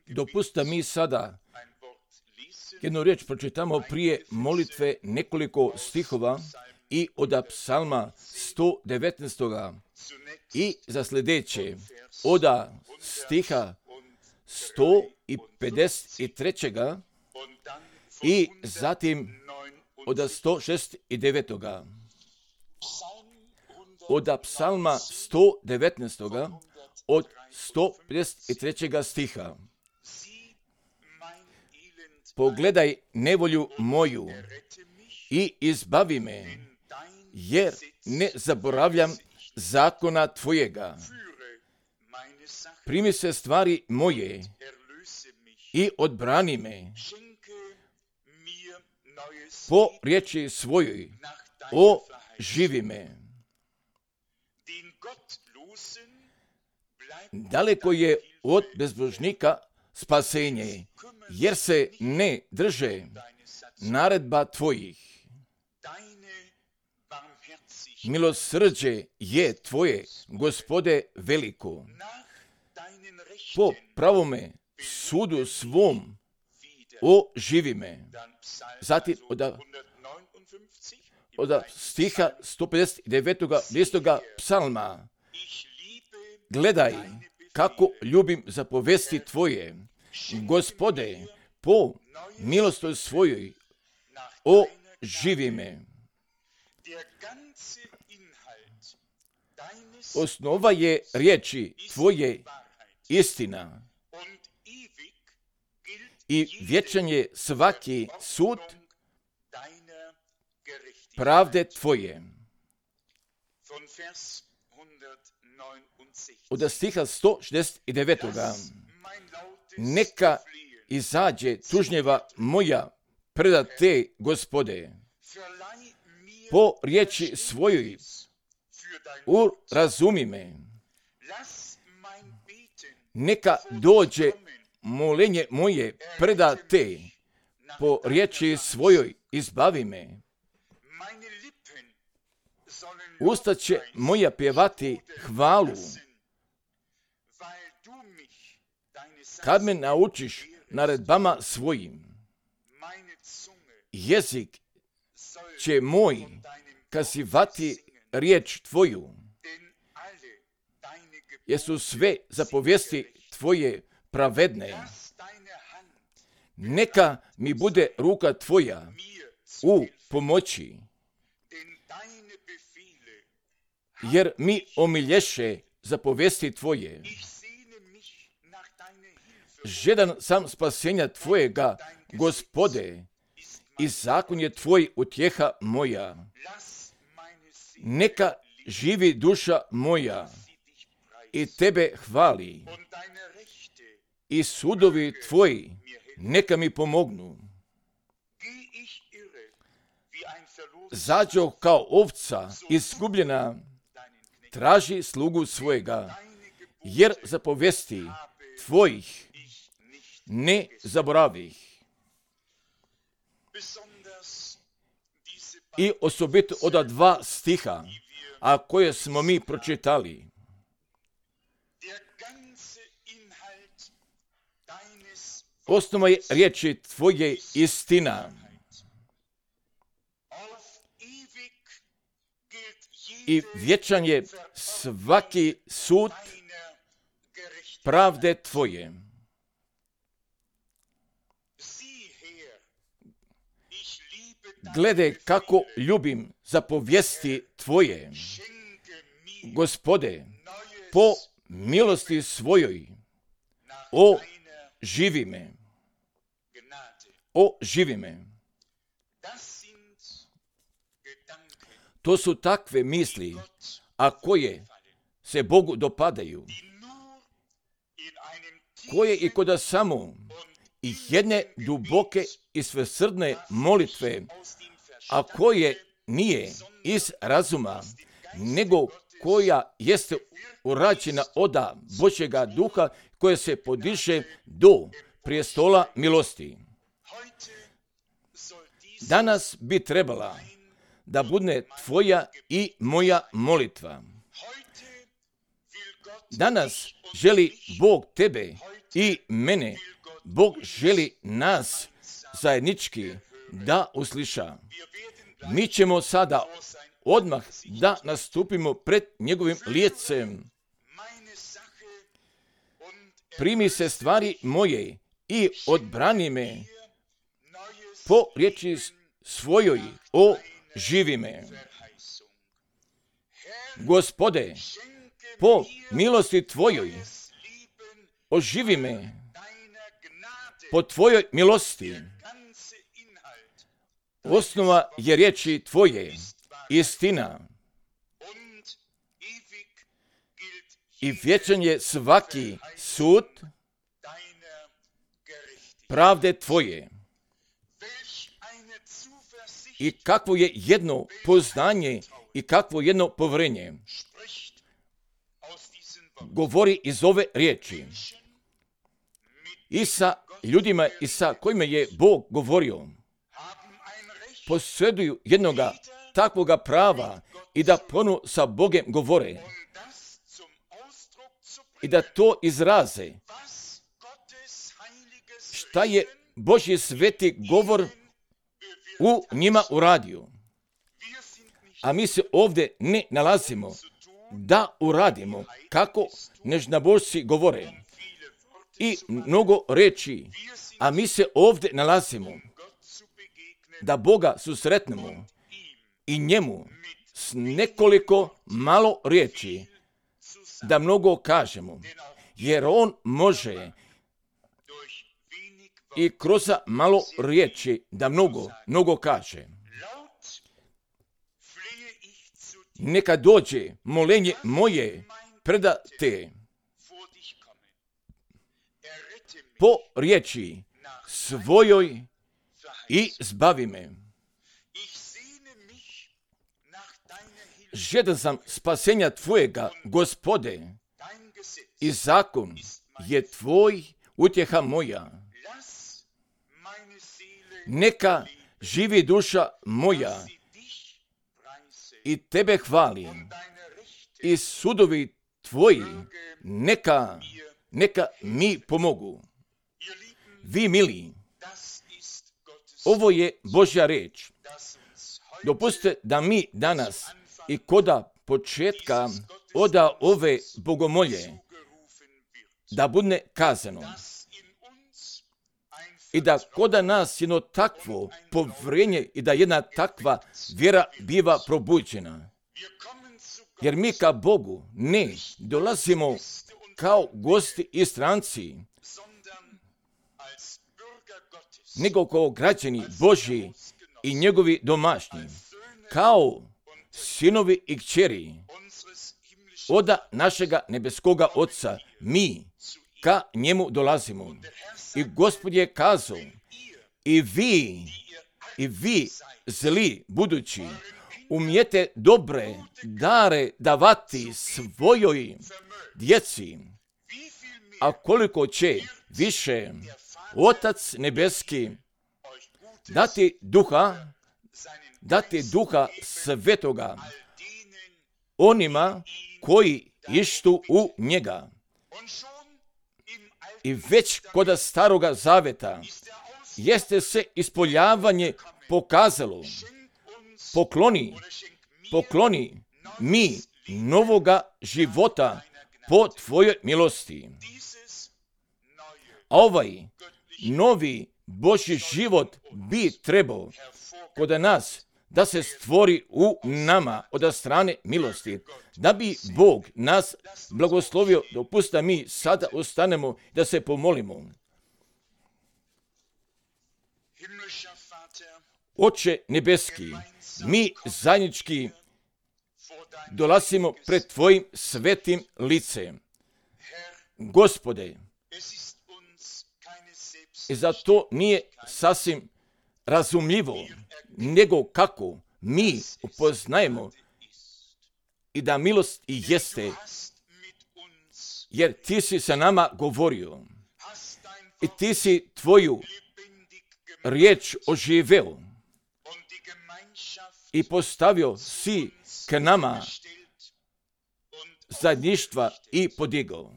Dopustite mi sada jednu riječ pročitamo prije molitve nekoliko stihova i od psalma 119. i za sljedeće od stiha 153. i zatim od 169. Od psalma 119. od 153. stiha. Pogledaj nevolju moju i izbavi me, jer ne zaboravljam zakona tvojega. Primi se stvari moje i odbrani me po riječi svojoj, oživi me. Daleko je od bezbožnika spasenje, jer se ne drže naredba tvojih. Milosrđe je tvoje, Gospode, veliko. Po pravome sudu svom oživi me. Zatim od stiha 159. listoga psalma. Gledaj kako ljubim zapovesti tvoje, Gospode, po milosti svojoj oživi me. Osnova je riječi tvoje istina i vječan je svaki sud pravde tvoje. Od stiha 169. Neka izađe tužnjeva moja preda te, Gospode, po riječi svojoj urazumi me. Neka dođe molenje moje preda te, po riječi svojoj izbavi me. Usta će moja pjevati hvalu, kad me naučiš naredbama svojim. Jezik će moj kazivati riječ tvoju, jer su sve zapovijesti tvoje pravedne. Neka mi bude ruka tvoja u pomoći, jer mi omilješe zapovijesti tvoje. Žedan sam spasenja tvojega, Gospode, i zakon je tvoj utjeha moja. Neka živi duša moja i tebe hvali, i sudovi tvoji neka mi pomognu. Zađo kao ovca izgubljena, traži slugu svojega, jer zapovijesti tvojih ne zaboravih. I osobito od 2 stiha, a koje smo mi pročitali. Osnova je riječi tvoje istina. I vječan je svaki sud pravde tvoje. Gledaj kako ljubim zapovijesti tvoje, Gospode, po milosti svojoj, oživi me. Oživi me. To su takve misli, a koje se Bogu dopadaju, koje i kod samo i jedne duboke i svesrdne molitve, a koje nije iz razuma, nego koja jeste urađena od Božjega duha, koje se podiže do prijestola milosti. Danas bi trebala da bude tvoja i moja molitva. Danas želi Bog tebe i mene Bog želi nas zajednički da usliša. Mi ćemo sada odmah da nastupimo pred njegovim licem. Primi se stvari moje i odbrani me, po riječi svojoj oživi me. Gospode, po milosti tvojoj oživi me, po tvojoj milosti. Osnova je riječi tvoje, istina. I vječan je svaki sud pravde tvoje. I kakvo je jedno poznanje i kakvo jedno povjerenje govori iz ove riječi. I sa ljudima i sa kojima je Bog govorio, posjeduju jednoga takvoga prava i da ponovo sa Bogem govore i da to izraze. Šta je Božji sveti govor u njima uradio? A mi se ovdje ne nalazimo da uradimo kako nežnabožci govore i mnogo reči, a mi se ovdje nalazimo da Boga susretnemo i njemu s nekoliko malo riječi da mnogo kažemo, jer on može i kroz malo riječi da mnogo kaže. Neka dođe molenje moje preda te. Po riječi svojoj i zbavi me. Žedan sam spasenja tvojega, Gospode, i zakon je tvoj utjeha moja. Neka živi duša moja i tebe hvali, i sudovi tvoji neka mi pomogu. Vi mili, ovo je Božja riječ. Dopustite da mi danas i koda početka od ove bogomolje da bude kazano i da koda nas jedno takvo povjerenje i da jedna takva vjera biva probuđena. Jer mi ka Bogu ne dolazimo kao gosti i stranci, nego kao građani Božji i njegovi domašnji, kao sinovi i kćeri od našega nebeskoga Oca, mi ka njemu dolazimo. I Gospod je kazao, i vi zli budući, umijete dobre dare davati svojoj djeci, a koliko će više Otac nebeski dati duha svetoga onima koji ištu u njega. I već kod staroga zaveta jeste se ispoljavanje pokazalo. Pokloni mi novoga života po tvojoj milosti. A ovaj novi Božji život bi trebao kod nas da se stvori u nama od strane milosti, da bi Bog nas blagoslovio. Dopusti da mi sada ostanemo da se pomolimo. Oče nebeski, mi zajednički dolazimo pred tvojim svetim licem. Gospode, i zato nije sasvim razumljivo, nego kako mi upoznajemo i da milost i jeste, jer ti si sa nama govorio i ti si tvoju riječ oživeo i postavio si k nama zajedništva i podigao.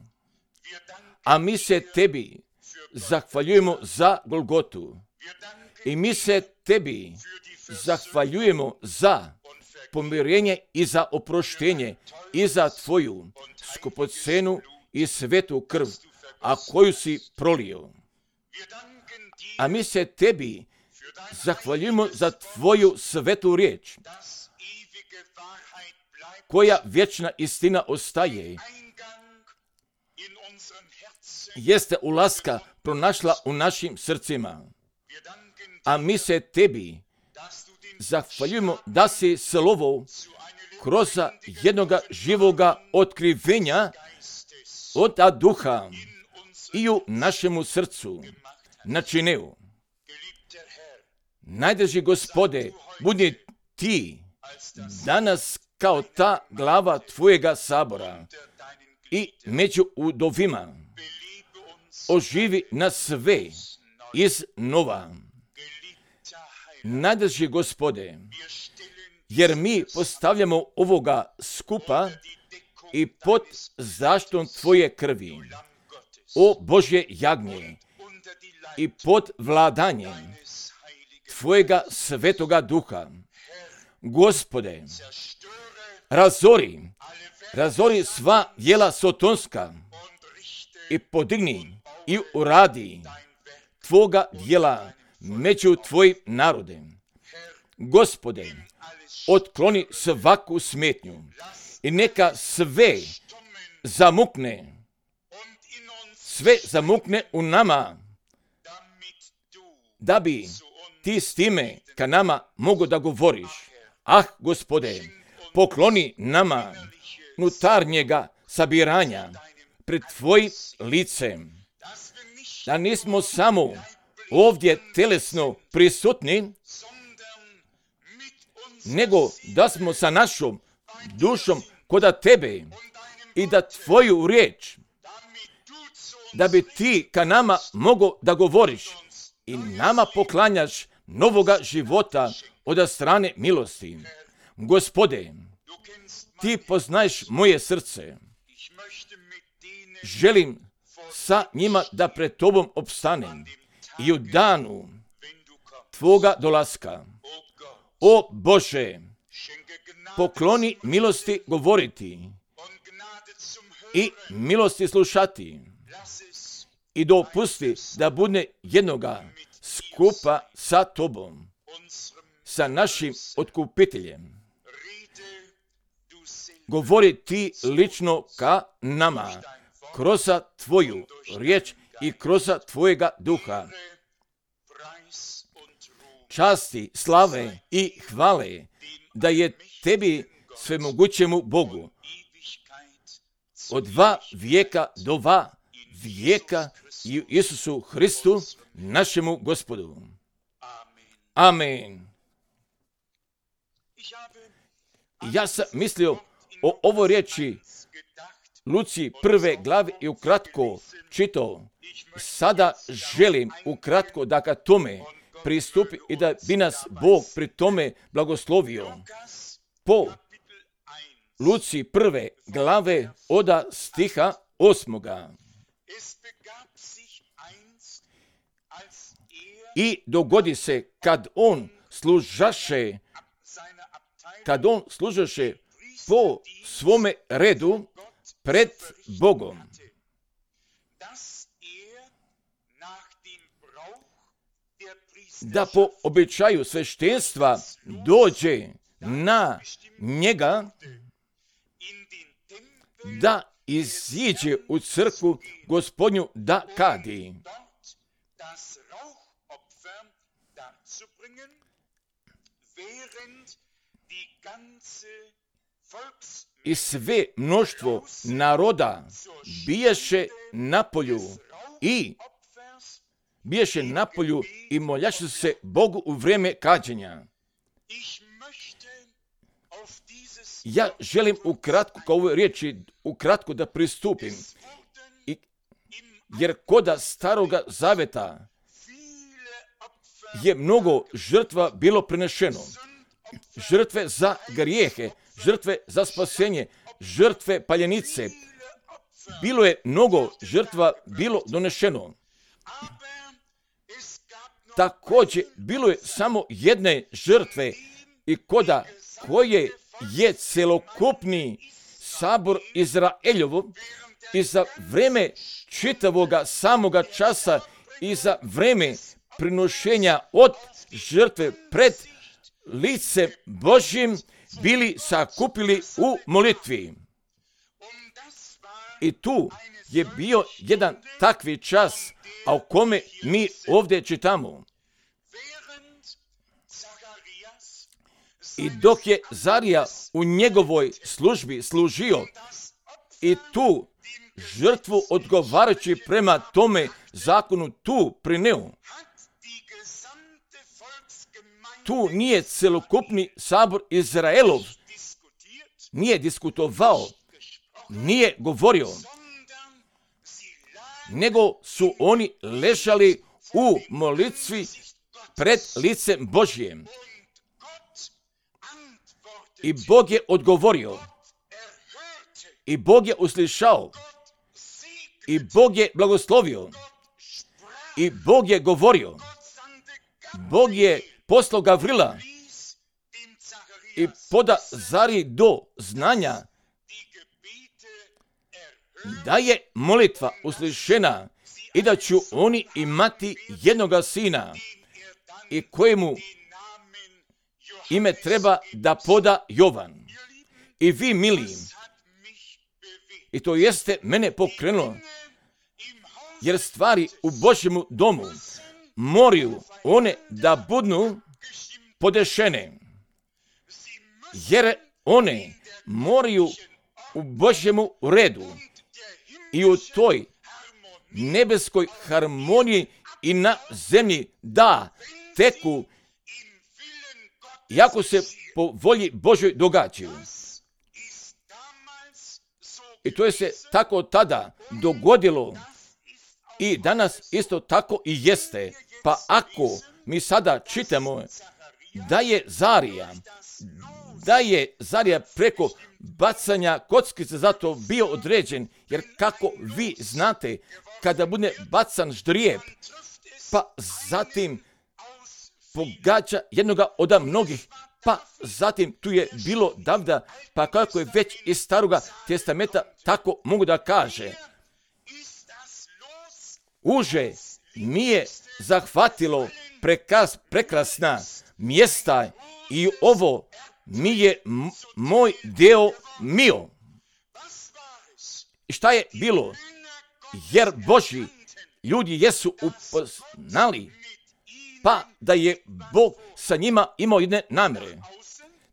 A mi se tebi zahvaljujemo za Golgotu. I mi se tebi zahvaljujemo za pomirenje i za oproštenje i za tvoju skupocenu i svetu krv, a koju si prolio. A mi se tebi zahvaljujemo za tvoju svetu riječ, koja vječna istina ostaje. Jeste ulaska pronašla u našim srcima. A mi se tebi zahvaljujemo da si slovo kroz jednoga živoga otkrivenja od duha i u našemu srcu načinio. Najdraži Gospode, budi ti danas kao ta glava tvojega sabora i među udovima oživi nas sve iznova. Najdraži Gospode, jer mi postavljamo ovoga skupa i pod zaštitom tvoje krvi, o Božje jagnje, i pod vladanjem tvojega svetoga duha. Gospode, razori sva djela sotonska i podigni i uradi tvoga djela među tvojim narodem. Gospode, otkloni svaku smetnju i neka sve zamukne u nama, da bi ti s time ka nama mogo da govoriš. Gospode, pokloni nama unutarnjega sabiranja pred tvojim licem, da nismo samo ovdje telesno prisutni, nego da smo sa našom dušom kod tebe i da tvoju riječ, da bi ti ka nama mogo da govoriš i nama poklanjaš novoga života od strane milosti. Gospode, ti poznaješ moje srce. Želim sa njima da pred tobom opstanem i u danu tvoga dolaska. O Bože, pokloni milosti govoriti i milosti slušati i dopusti da bude jednoga skupa sa tobom, sa našim otkupiteljem. Govori ti lično ka nama, kroz tvoju riječ i kroz tvojega duha. Časti, slave i hvale da je tebi svemogućemu Bogu od 2 vijeka do 2 vijeka i u Isusu Hristu, našemu Gospodu. Amen. Ja sam mislio o ovoj riječi Luci 1. glavi i ukratko čitao. Sada želim ukratko da ka tome pristupi i da bi nas Bog pri tome blagoslovio. Po Luci 1. glave od stiha 8. I dogodi se kad on služaše po svome redu pred Bogom, da po običaju sveštenstva dođe na njega, da iziđe u crkvu Gospodnju da kadi. I sve mnoštvo naroda biješe na polju i moljaše se Bogu u vrijeme kađenja. Ja želim ukratko kao ove riječi ukratko da pristupim, jer koda Staroga Zaveta je mnogo žrtva bilo prinešeno. Žrtve za grijehe, žrtve za spasenje, žrtve paljenice. Bilo je mnogo žrtva bilo donešeno. Također, bilo je samo jedne žrtve i koje je celokupni sabor Izraeljovo i za vreme čitavoga samoga časa i za vreme prinošenja od žrtve pred licem Božjim bili sakupili u molitvi. I tu je bio jedan takvi čas, a o kome mi ovdje čitamo. I dok je Zarija u njegovoj službi služio i tu žrtvu odgovarajući prema tome zakonu tu prineo, tu nije celokupni sabor Izraelov, nije diskutovao, nije govorio, nego su oni ležali u molitvi pred licem Božjem. I Bog je odgovorio, i Bog je uslišao, i Bog je blagoslovio, i Bog je govorio. Bog je poslao Gavrila i poda Zariji do znanja da je molitva uslišena i da ću oni imati jednoga sina i kojemu ime treba da poda Jovan. I vi, mili, i to jeste mene pokrenulo, jer stvari u Božjemu domu moraju one da budu podešene, jer one moraju u Božjemu redu i u toj nebeskoj harmoniji i na zemlji da teku, jako se po volji Božoj događaju. I to je se tako tada dogodilo i danas isto tako i jeste. Pa ako mi sada čitamo da je Zarija preko bacanja kockice zato bio određen, jer kako vi znate, kada bude bacan ždrijeb, pa zatim pogađa jednoga od mnogih, pa zatim tu je bilo Davida, pa kako je već iz Staroga testamenta, tako mogu da kaže. Uže mi je zahvatilo prekrasna mjesta i ovo mi je moj deo mio. I šta je bilo? Jer Božji ljudi jesu upoznali, pa da je Bog sa njima imao jedne namjere.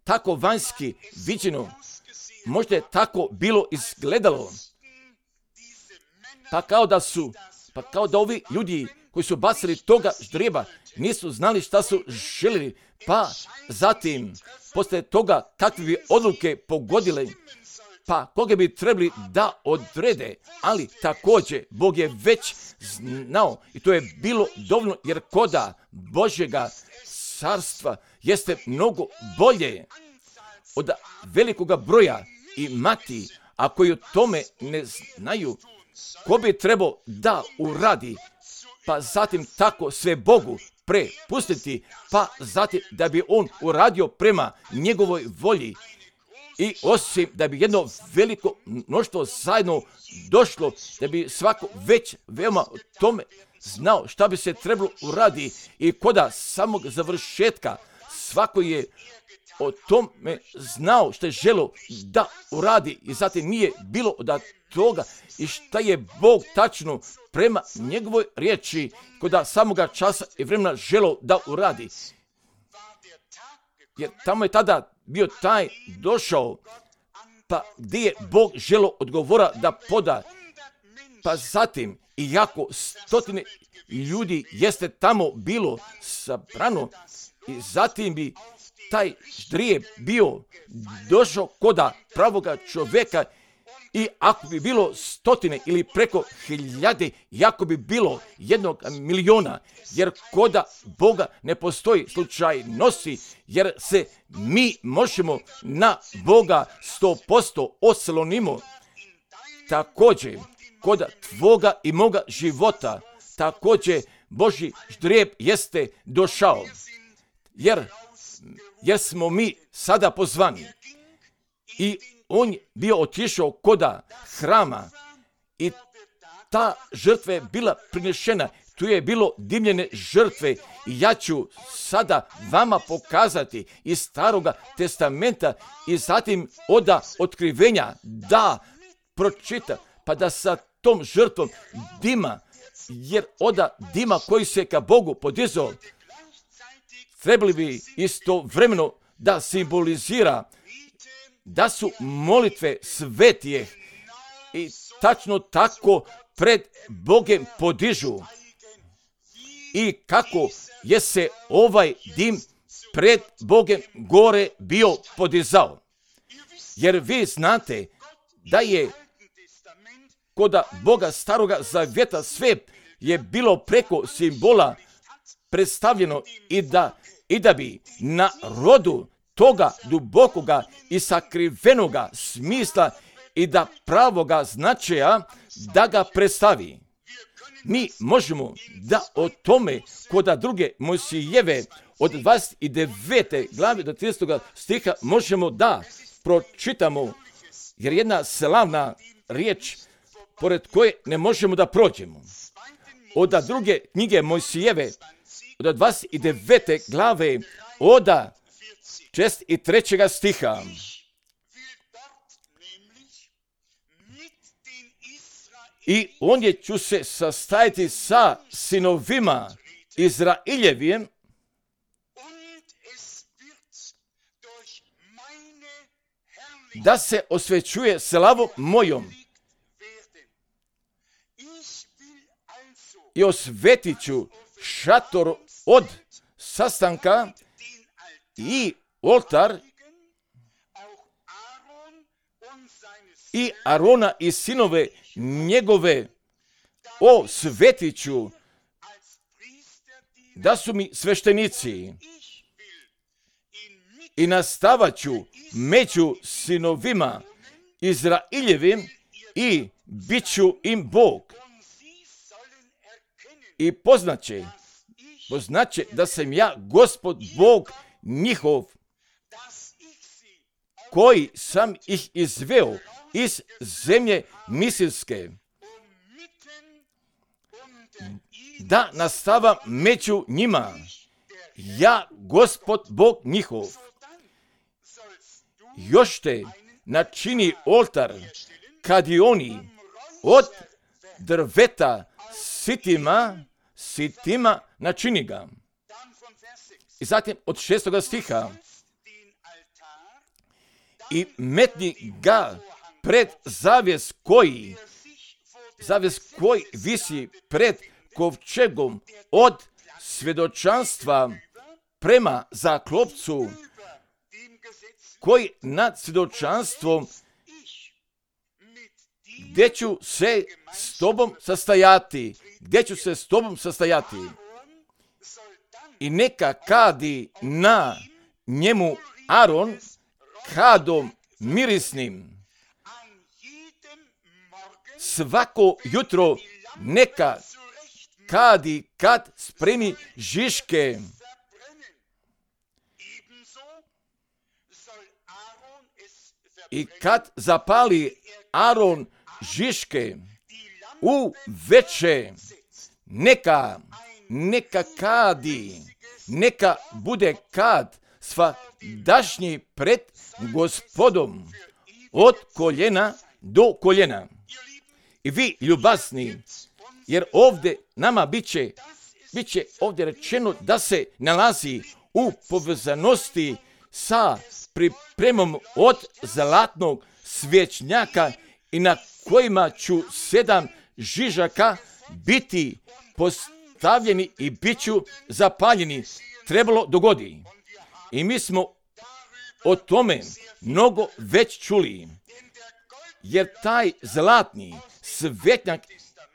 Tako vanjski viđeno, možda je tako bilo izgledalo. Pa kao da ovi ljudi koji su bacili toga ždrijeba nisu znali šta su željeli, pa zatim posle toga kakve bi odluke pogodile, pa koga bi trebali da odrede, ali također Bog je već znao i to je bilo dovoljno, jer koda Božjega carstva jeste mnogo bolje od velikoga broja i mati, a koji o tome ne znaju, ko bi trebao da uradi, pa zatim tako sve Bogu prepustiti, pa zatim da bi on uradio prema njegovoj volji. I osim da bi jedno veliko mnoštvo zajedno došlo, da bi svako već veoma o tome znao šta bi se trebalo uradi i koda samog završetka svako je o tome znao što je želo da uradi i zatim nije bilo od toga i šta je Bog tačno prema njegovoj riječi koda samoga časa i vremena želo da uradi. Jer tamo je tada bio taj došao, pa gdje je Bog želo odgovora da poda, pa zatim iako stotine ljudi jeste tamo bilo sabrano i zatim bi taj ždrijeb bio došao koda pravoga čovjeka i ako bi bilo stotine ili preko hiljade, jako bi bilo 1 miliona, jer koda Boga ne postoji slučajnosti, jer se mi možemo na Boga 100% oslonimo. Također, koda tvoga i moga života, također Božji ždrijeb jeste došao. Jer smo mi sada pozvani. I on bio otišao koda hrama i ta žrtva je bila prinešena. Tu je bilo dimljene žrtve i ja ću sada vama pokazati iz Staroga testamenta i zatim od otkrivenja da pročita, pa da sa tom žrtvom dima, jer od dima koji se ka Bogu podizao, trebali bi istovremeno da simbolizira da su molitve svetije i tačno tako pred Bogem podižu. I kako je se ovaj dim pred Bogem gore bio podizao. Jer vi znate da je kod Boga Staroga Zavjeta sve je bilo preko simbola predstavljeno i da bi na rodu toga dubokoga i sakrivenoga smisla i da pravoga značaja da ga predstavi. Mi možemo da o tome kod druge Mojsijeve od 29. glave do 30. stiha možemo da pročitamo, jer jedna slavna riječ pored koje ne možemo da prođemo. Od druge knjige Mojsijeve od 29. glave od 3. stiha. I ondje ću se sastajati sa sinovima Izraeljevim da se osvećuje slavom mojom. I osvetit ću šator od sastanka i oltar i Arona i sinove njegove osvetit ću da su mi sveštenici i nastavat ću među sinovima Izraeljevim i bit ću im Bog. I poznaće da sam ja Gospod Bog njihov, koji sam ih izveo iz zemlje Misirske, da nastavam među njima, ja Gospod Bog njihov. Još te načini oltar kadioni od drveta sitima načini ga. I zatim od 6. stiha. I metni ga pred zavjes koji visi pred kovčegom od svjedočanstva prema zaklopcu, koji nad svjedočanstvom gdje ću se s tobom sastajati. I neka kadi na njemu Aron kadom mirisnim. Svako jutro neka kadi kad spremi žiške. I kad zapali Aron žiške u veče, neka kadi, neka bude kad svadašnji pred Gospodom od koljena do koljena. I vi ljubazni, jer ovdje nama bit će ovdje rečeno da se nalazi u povezanosti sa pripremom od zlatnog svječnjaka i na kojima ću 7 žižaka biti postavljeni i bit ću zapaljeni. Trebalo dogodi. I mi smo o tome mnogo već čuli. Jer taj zlatni svjetnjak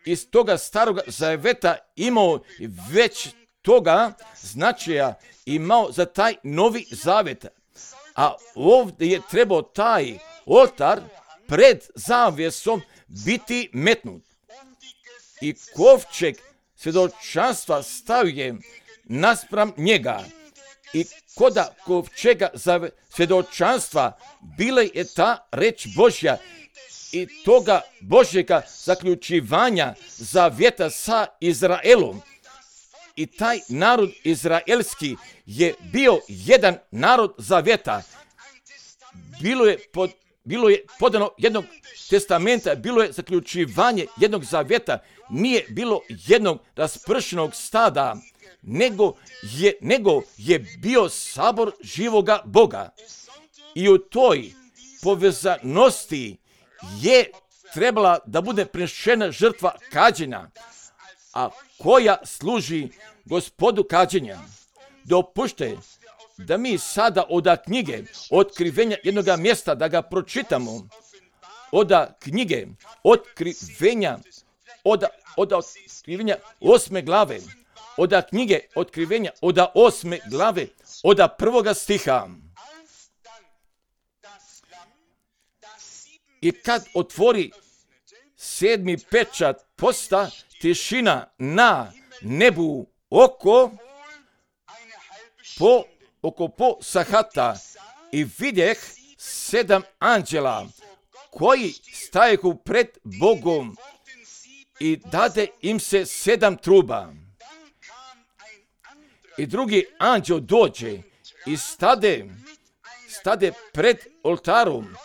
iz toga Staroga Zaveta imao već toga značaja, imao za taj Novi Zavet. A ovdje je trebao taj oltar pred zavjesom biti metnut. I kovčeg svjedočanstva stavio naspram njega i koda kovčega za svjedočanstva bile je ta reč Božja i toga Božjega zaključivanja zavjeta sa Izraelom. I taj narod izraelski je bio jedan narod zavjeta. Bilo je podano jednog testamenta, bilo je zaključivanje jednog zavjeta, nije bilo jednog raspršenog stada, nego je bio sabor živoga Boga. I u toj povezanosti je trebala da bude prinešena žrtva kađenja, a koja služi Gospodu kađenja. Dopušte da mi sada od knjige Otkrivenja jednoga mjesta da ga pročitamo. Od knjige Otkrivenja, od Otkrivenja 8. glave. Od knjige Otkrivenja, od 8. glave, od 1. stiha. I kad otvori 7. pečat, posta tišina na nebu oko po sahata i vidjeh 7 anđela koji stajehu pred Bogom i dade im se 7 truba. I drugi anđel dođe i stade pred oltarom.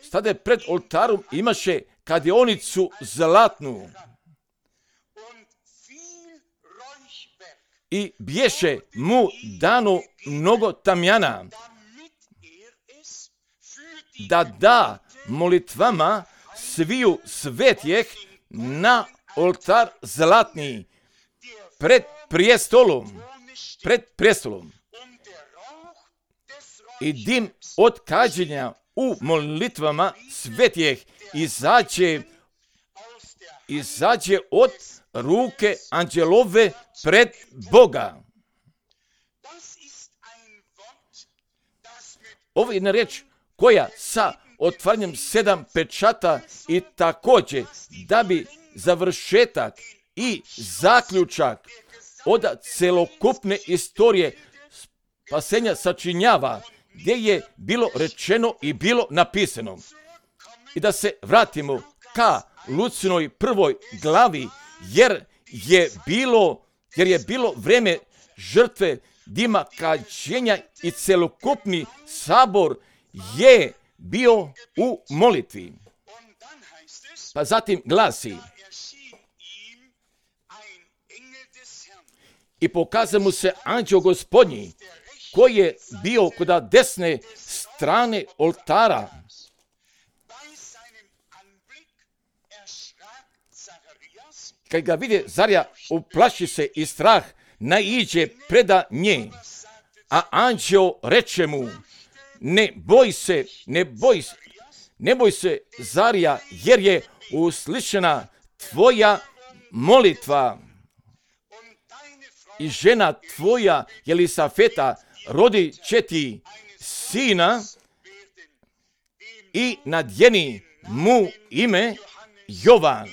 Stade pred oltarom, imaše kadionicu zlatnu. I bješe mu dano mnogo tamjana, da molitvama sviju svetjeh na oltar zlatni pred prijestolom. I dim od kađenja u molitvama svetjeh izađe od ruke anđelove pred Boga. Ovo je jedna reč koja sa otvaranjem 7 pečata i također da bi završetak i zaključak od celokupne istorije spasenja sačinjava, gdje je bilo rečeno i bilo napisano. I da se vratimo ka Lucinoj 1. glavi, jer je bilo vrijeme žrtve dima kađenja i celokupni sabor je bio u molitvi. Pa zatim glasi: i pokazao mu se anđeo Gospodnji, koji je bio kod desne strane oltara. Kad ga vide, Zarija uplaši se i strah naiđe preda nje. A anđeo reče mu: ne boj se, Zarija, jer je uslišena tvoja molitva. I žena tvoja, Jelisafeta, rodit će ti sina i nadjeni mu ime Jovan.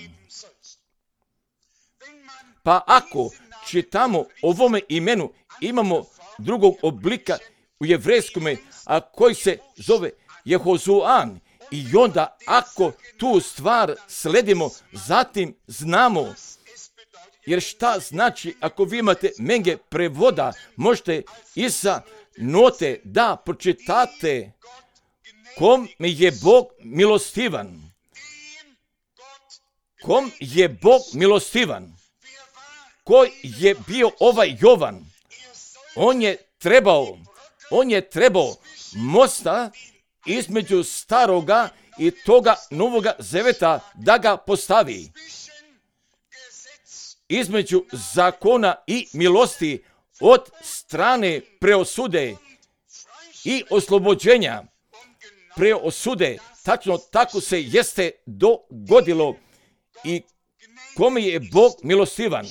Pa ako čitamo ovome imenu, imamo drugog oblika u jevrejskome, a koji se zove Jehozuan. I onda ako tu stvar sledimo, zatim znamo. Jer šta znači, ako vi imate menge prevoda, možete i sa note da pročitate kom je Bog milostivan. Kom je Bog milostivan? Ko je bio ovaj Jovan? On je trebao mosta između staroga i toga novoga zaveta da ga postavi. Između zakona i milosti od strane preosude i oslobođenja. Preosude, tačno tako se jeste dogodilo i kome je Bog milostivan.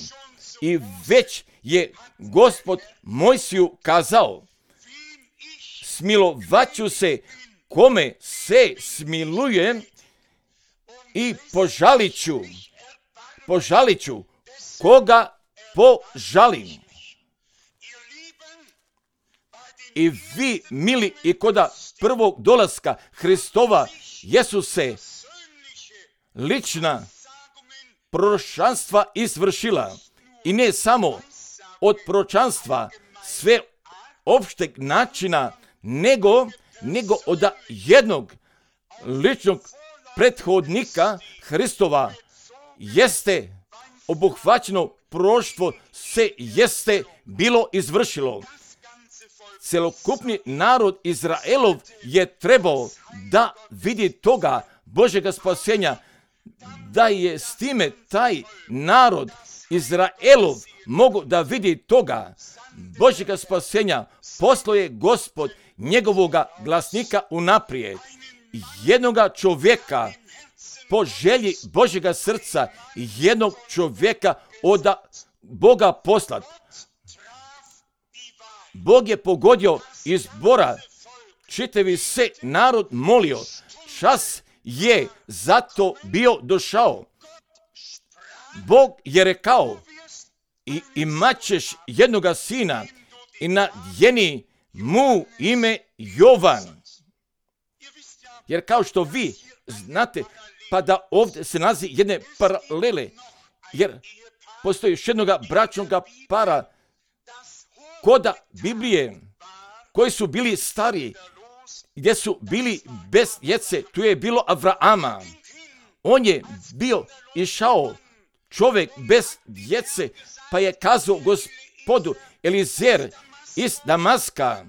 I već je Gospod Mojsiju kazao: smilovaću se kome se smilujem i požalit ću koga požali. I vi, mili, i koda prvog dolaska Hristova Jesuse lična proročanstva izvršila. I ne samo od proročanstva sve opšteg načina, nego od jednog ličnog prethodnika Hristova jeste obuhvaćeno proroštvo, se jeste bilo izvršilo. Celokupni narod Izraelov je trebao da vidi toga Božjega spasenja, da je s time taj narod Izraelov mogu da vidi toga Božjega spasenja. Poslao je Gospod njegovoga glasnika unaprijed, jednoga čovjeka po želji Božjega srca, jednog čovjeka od Boga poslat. Bog je pogodio izbora, čitavi se narod molio, čas je zato bio došao. Bog je rekao, i imat ćeš jednoga sina i nadjeni mu ime Jovan. Jer kao što vi znate, pa da ovdje se nalazi jedne paralele, jer postoji još jednoga bračnoga para koda Biblije, koji su bili stari, gdje su bili bez djece. Tu je bilo Avrama. On je bio išao čovjek bez djece, pa je kazao Gospodu Elizer iz Damaska,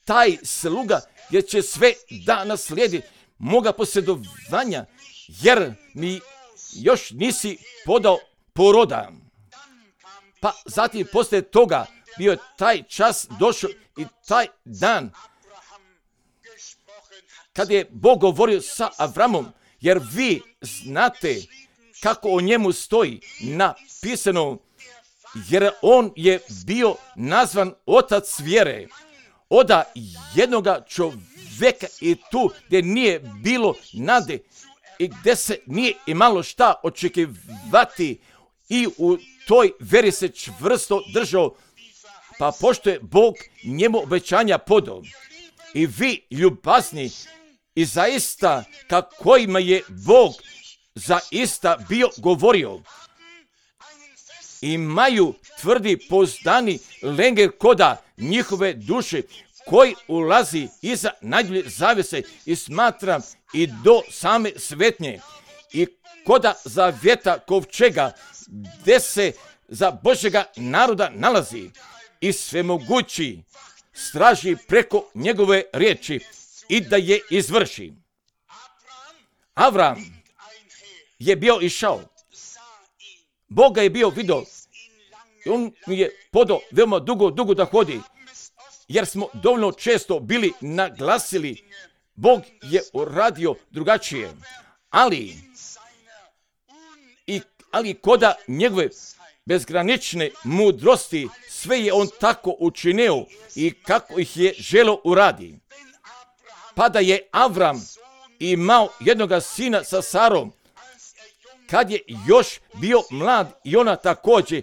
taj sluga jer će sve da naslijedi moga posjedovanja, jer mi još nisi podao poroda. Pa zatim poslije toga bio je taj čas došao i taj dan kad je Bog govorio sa Avramom, jer vi znate kako o njemu stoji napisano, jer on je bio nazvan otac vjere. Oda jednoga čovjeka i tu gdje nije bilo nade i gdje se nije imalo šta očekivati i u toj vjeri se čvrsto držao, pa pošto je Bog njemu obećanja podao. I vi ljubazni i zaista kakvima je Bog zaista bio govorio, imaju tvrdi pouzdani lenger koda njihove duše koji ulazi iza najdulje zavese i smatram i do same svetnje i koda zavjeta kovčega gdje se za Božjega naroda nalazi i svemogući straži preko njegove riječi i da je izvrši. Avram je bio išao. Boga je bio vidio. On mi je podao veoma dugo da hodi. Jer smo dovoljno često bili naglasili. Bog je uradio drugačije. Ali koda njegove bezgranične mudrosti sve je on tako učinio i kako ih je želeo uradi. Pa da je Avram imao jednoga sina sa Sarom, kad je još bio mlad i ona također,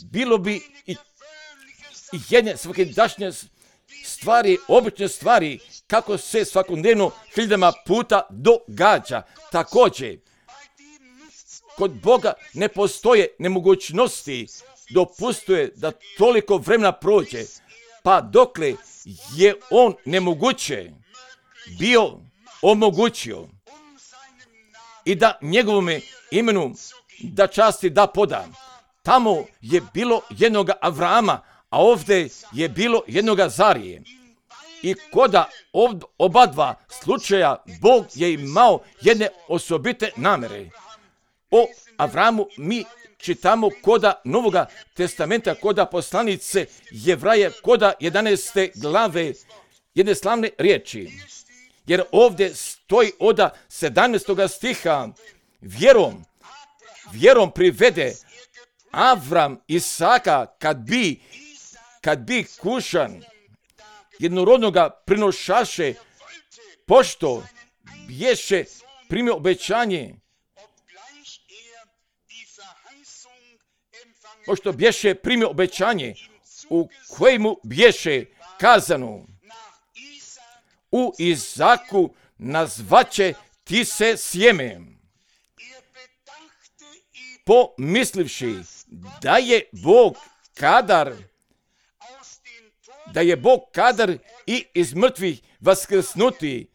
bilo bi i jedne svakidašnje stvari, obične stvari, kako se svakodnevno hiljadama puta događa. Također, kod Boga ne postoje nemogućnosti, dopustuje da toliko vremena prođe, pa dokle je on nemoguće bio omogućio i da njegovome imenu da časti da poda. Tamo je bilo jednoga Avrama, a ovdje je bilo jednoga Zarije. I koda oba dva slučaja Bog je imao jedne osobite namere. O Avramu mi čitamo koda Novoga testamenta, koda poslanice Jevraje, koda 11. glave, jedne slavne riječi. Jer ovdje stoji od 17. stiha, vjerom privede Avram Isaka kad bi kušan jednorodnoga prinošaše, pošto bješe primio obećanje pošto bješe primio obećanje u kojemu bješe kazano: u Izaku nazvaće ti se sjeme. Pomislivši da je Bog kadar i iz mrtvih vaskrsnuti,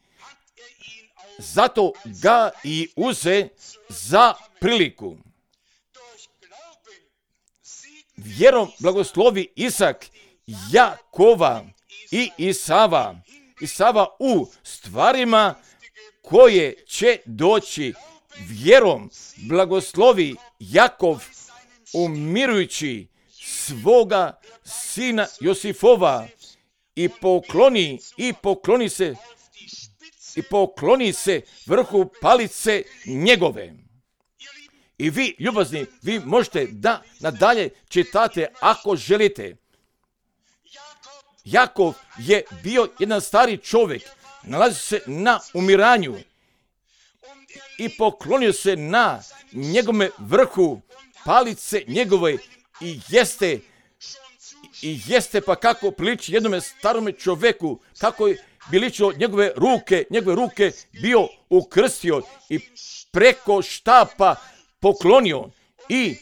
zato ga i uze za priliku. Vjerom blagoslovi Isak Jakova i Isava u stvarima koje će doći. Vjerom blagoslovi Jakov umirujući svoga sina Josifova i pokloni se vrhu palice njegove. I vi, ljubazni, vi možete da nadalje čitate ako želite. Jakov je bio jedan stari čovjek, nalazi se na umiranju i poklonio se na njegove vrhu palice njegove i jeste pa kako priliči jednome starome čovjeku, kako je biličio njegove ruke bio ukrstio i preko štapa poklonio i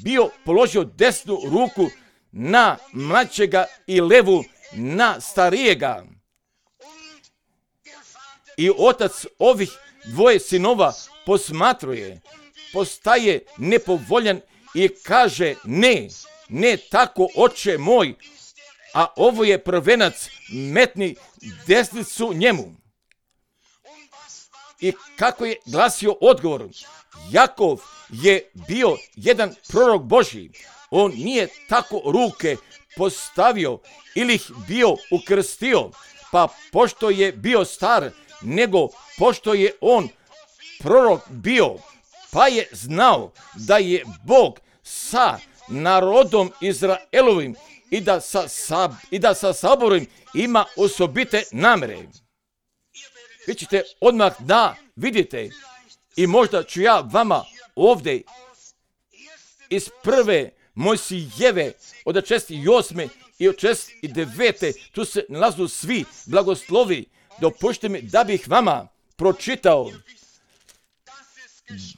bio položio desnu ruku na mlađega i levu na starijega. I otac ovih dvoje sinova posmatruje, postaje nepovoljan i kaže: ne tako, oče moj, a ovo je prvenac, metni desnicu njemu. I kako je glasio odgovor? Jakov je bio jedan prorok Božji. On nije tako ruke postavio ili ih bio ukrstio, pa pošto je bio star, nego pošto je on prorok bio, pa je znao da je Bog sa narodom Izraelovim i da sa saborom ima osobite namere. Vi ćete odmah da vidite, i možda ću ja vama ovdje iz prve Mojsijeve od 68. i od 69. tu se nalazu svi blagoslovi. Dopušte mi da bih vama pročitao,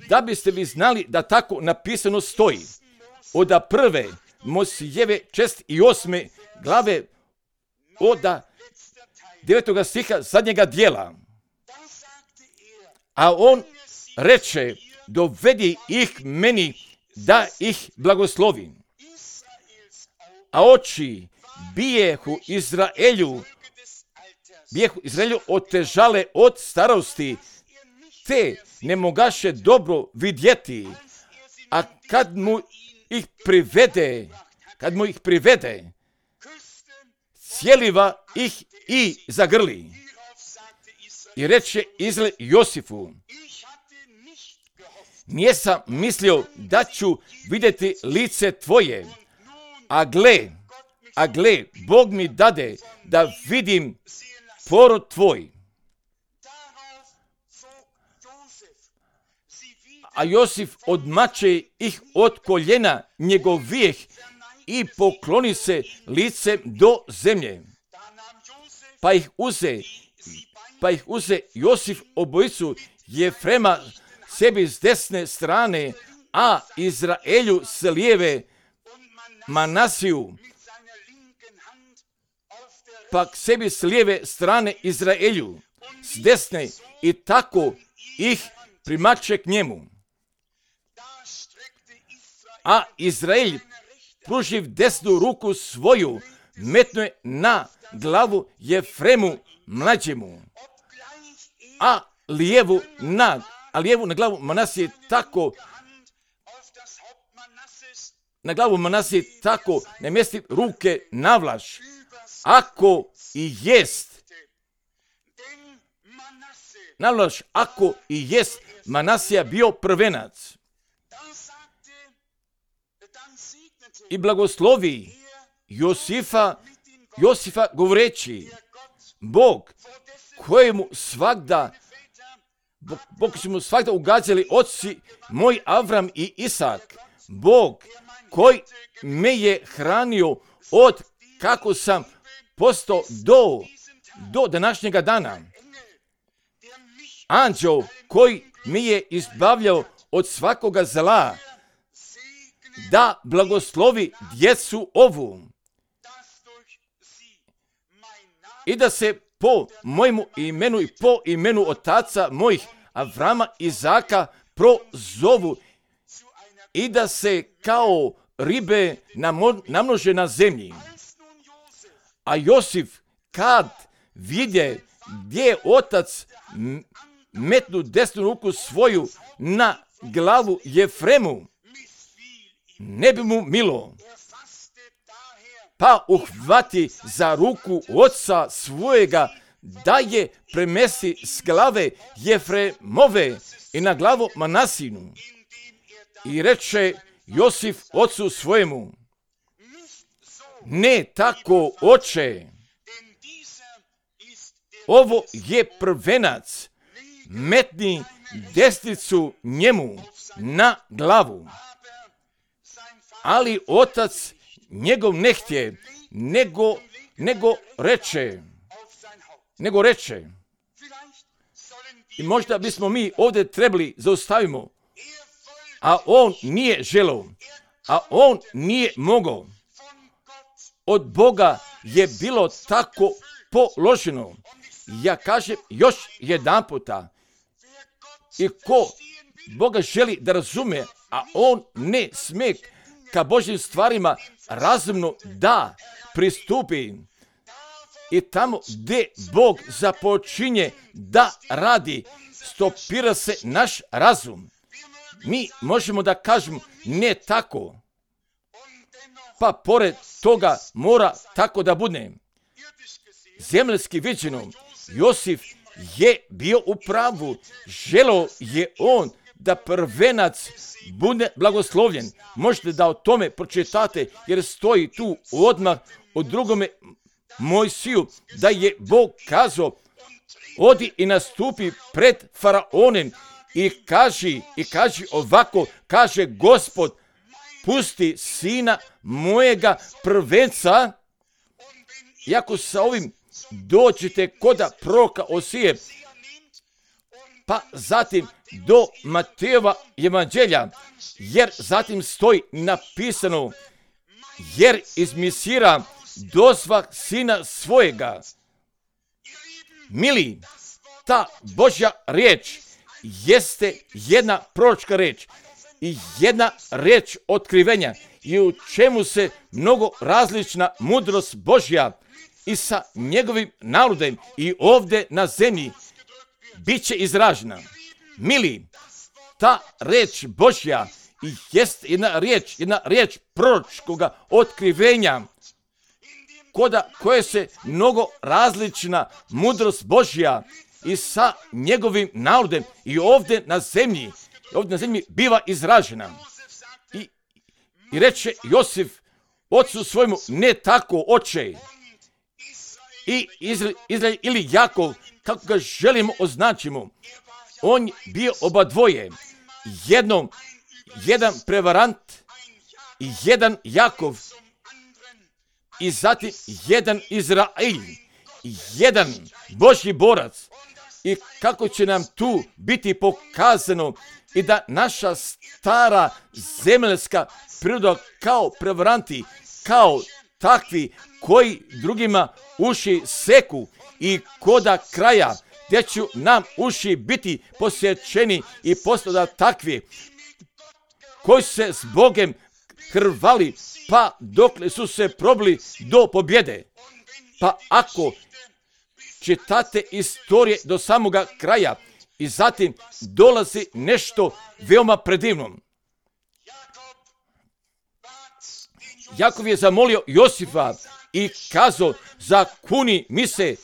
da biste vi znali da tako napisano stoji. Od prve Mojsijeve 68. glave od 9. stiha zadnjega dijela. A on reče: dovedi ih meni da ih blagoslovim. A oči bijehu Izraelju otežale od starosti, te ne mogaše dobro vidjeti, a kad mu ih privede, cijeliva ih i zagrli. I reče Izrael Josifu: nisam mislio da ću vidjeti lice tvoje, a gle, Bog mi dade da vidim porod tvoj. A Josif odmače ih od koljena njegovih i pokloni se licem do zemlje. Pa ih uze Josif obojicu Jefrema sebi s desne strane, a Izraelju s lijeve Manasiju, pak sebi s lijeve strane Izraelju s desne, i tako ih primače k njemu. A Izrael, pruživ desnu ruku svoju, metnuje na glavu Jefremu mlađemu, a lijevu na glavu Manasije, tako na glavu Manasije tako namjesti ruke navlaš, ako i jest Manasija bio prvenac. I blagoslovi Josifa govoreći: Bog kojemu su mu svagda ugađali oci moj Avram i Isak, Bog koji me je hranio od kako sam postao do današnjega dana. Anđeo koji mi je izbavljao od svakoga zla, da blagoslovi djecu ovu i da se po mojemu imenu i po imenu otaca mojih Avrama i Izaka prozovu i da se kao ribe namnože na zemlji. A Josif kad vidje gdje je otac metnu desnu ruku svoju na glavu Jefremu, ne bi mu milo, pa uhvati za ruku oca svojega da je premesti s glave Jefremove i na glavu Manasinu. I reče Josif ocu svojemu: ne tako, oče, ovo je prvenac, metni desnicu njemu na glavu. Ali otac njegov ne htje, nego reče. I možda bismo mi ovdje trebali zaustavimo, a on nije želeo, a on nije mogao. Od Boga je bilo tako položeno. Ja kažem još jedan puta, i ko Boga želi da razume, a on ne smije ka Božjim stvarima razumno da pristupi, i tamo gdje Bog započinje da radi, stopira se naš razum. Mi možemo da kažemo ne tako, pa pored toga mora tako da bude. Zemaljski viđeno, Josif je bio u pravu. Želeo je on da prvenac bude blagoslovljen. Možete da o tome pročitate, jer stoji tu odmah u drugome Mojsiju, da je Bog kazao: odi i nastupi pred faraonem i kaži ovako, kaže Gospod, pusti sina mojega prvenca. I ako sa ovim dođete koda proroka Osije, pa zatim do Matejova evanđelja, jer zatim stoji napisano: jer izmisira dozvah sina svojega. Mili, ta Božja riječ jeste jedna proročka riječ i jedna riječ otkrivenja, i u čemu se mnogo različna mudrost Božja i sa njegovim narodom i ovdje na zemlji bit će izražena. Mili, ta riječ Božja jest jedna riječ proročkoga otkrivenja, koje se mnogo različna mudrost Božja i sa njegovim narodom i ovdje na zemlji biva izražena. I reče Josif ocu svojemu: ne tako, oče. I Izrael ili Jakov, kako ga želimo označimo, on bio oba dvoje. Jedan prevarant i jedan Jakov, i zatim jedan Izrael, jedan Božji borac. I kako će nam tu biti pokazano i da naša stara zemaljska priroda kao prevaranti, kao takvi koji drugima uši seku, i koda kraja gdje će nam uši biti posjećeni i postati takvi koji su se s Bogem hrvali, pa dokle su se probili do pobjede. Pa ako čitate istorije do samoga kraja, i zatim dolazi nešto veoma predivno. Jakov je zamolio Josifa i kazao: zakuni mi se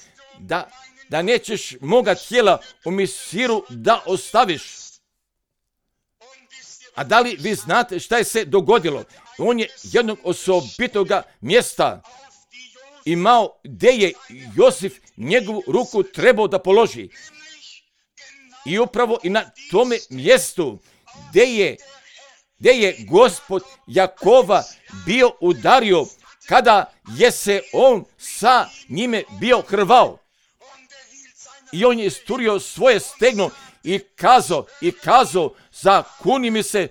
da nećeš moga tijela u Misiru da ostaviš. A da li vi znate šta je se dogodilo? On je jednog osobitoga mjesta imao gdje je Josif njegovu ruku trebao da položi. I upravo i na tome mjestu gdje je gdje je Gospod Jakova bio udario kada je se on sa njime bio hrvao. I on je isturio svoje stegno i kazao, zakuni mi se,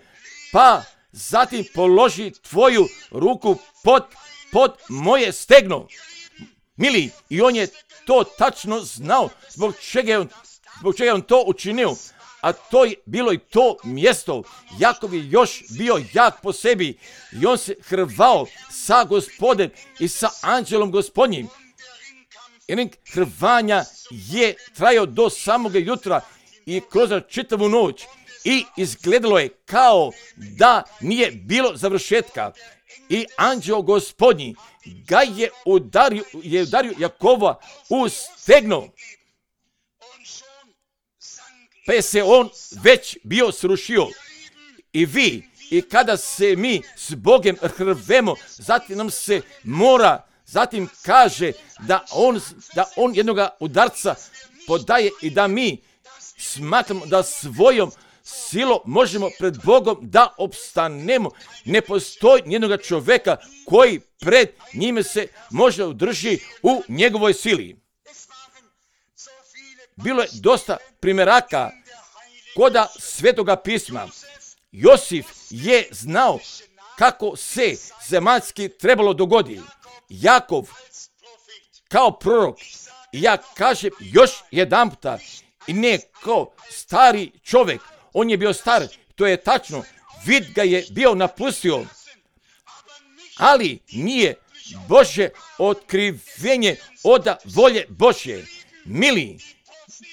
pa zatim položi tvoju ruku pod moje stegno. Mili, i on je to tačno znao zbog čega je on to učinio. A to je bilo i to mjesto. Jakov je još bio jak po sebi i on se hrvao sa Gospodem i sa anđelom Gospodnjim. I hrvanja je trajao do samoga jutra i kroz čitavu noć i izgledalo je kao da nije bilo završetka. I anđeo Gospodnji ga je udario Jakova u stegno. Pa je se on već bio srušio. I vi, i kada se mi s Bogom hrvemo, zatim nam se mora, zatim kaže da on jednoga udarca podaje i da mi smatramo da svojom silom možemo pred Bogom da opstanemo. Ne postoji nijednog čovjeka koji pred njime se može udrži u njegovoj sili. Bilo je dosta primjeraka koda Svetoga pisma. Josif je znao kako se zemaljski trebalo dogoditi. Jakov kao prorok, ja kažem još jedan puta, i ne kao stari čovjek, on je bio star, to je tačno, vid ga je bio napustio, ali nije Božje otkrivenje od volje Božje.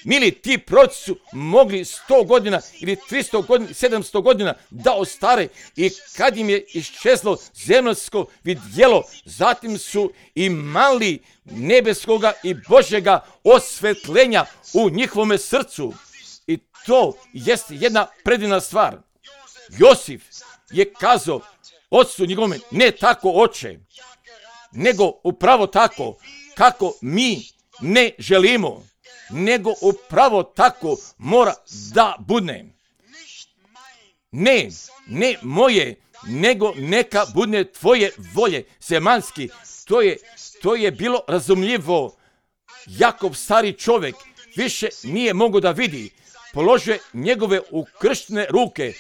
Mili, ti proroci su mogli 100 godina ili 300 godina, 700 godina da ostare i kad im je iščezlo zemaljsko vidjelo, zatim su imali nebeskoga i Božjega osvetljenja u njihovome srcu. I to jest jedna predivna stvar. Josif je kazao ocu njegovome, ne tako oče, nego upravo tako kako mi ne želimo, nego upravo tako mora da bude. Ne moje, nego neka bude tvoje volje, zemaljski. To je bilo razumljivo. Jakov, stari čovjek, više nije mogao da vidi. Položio je njegove ukrštene ruke,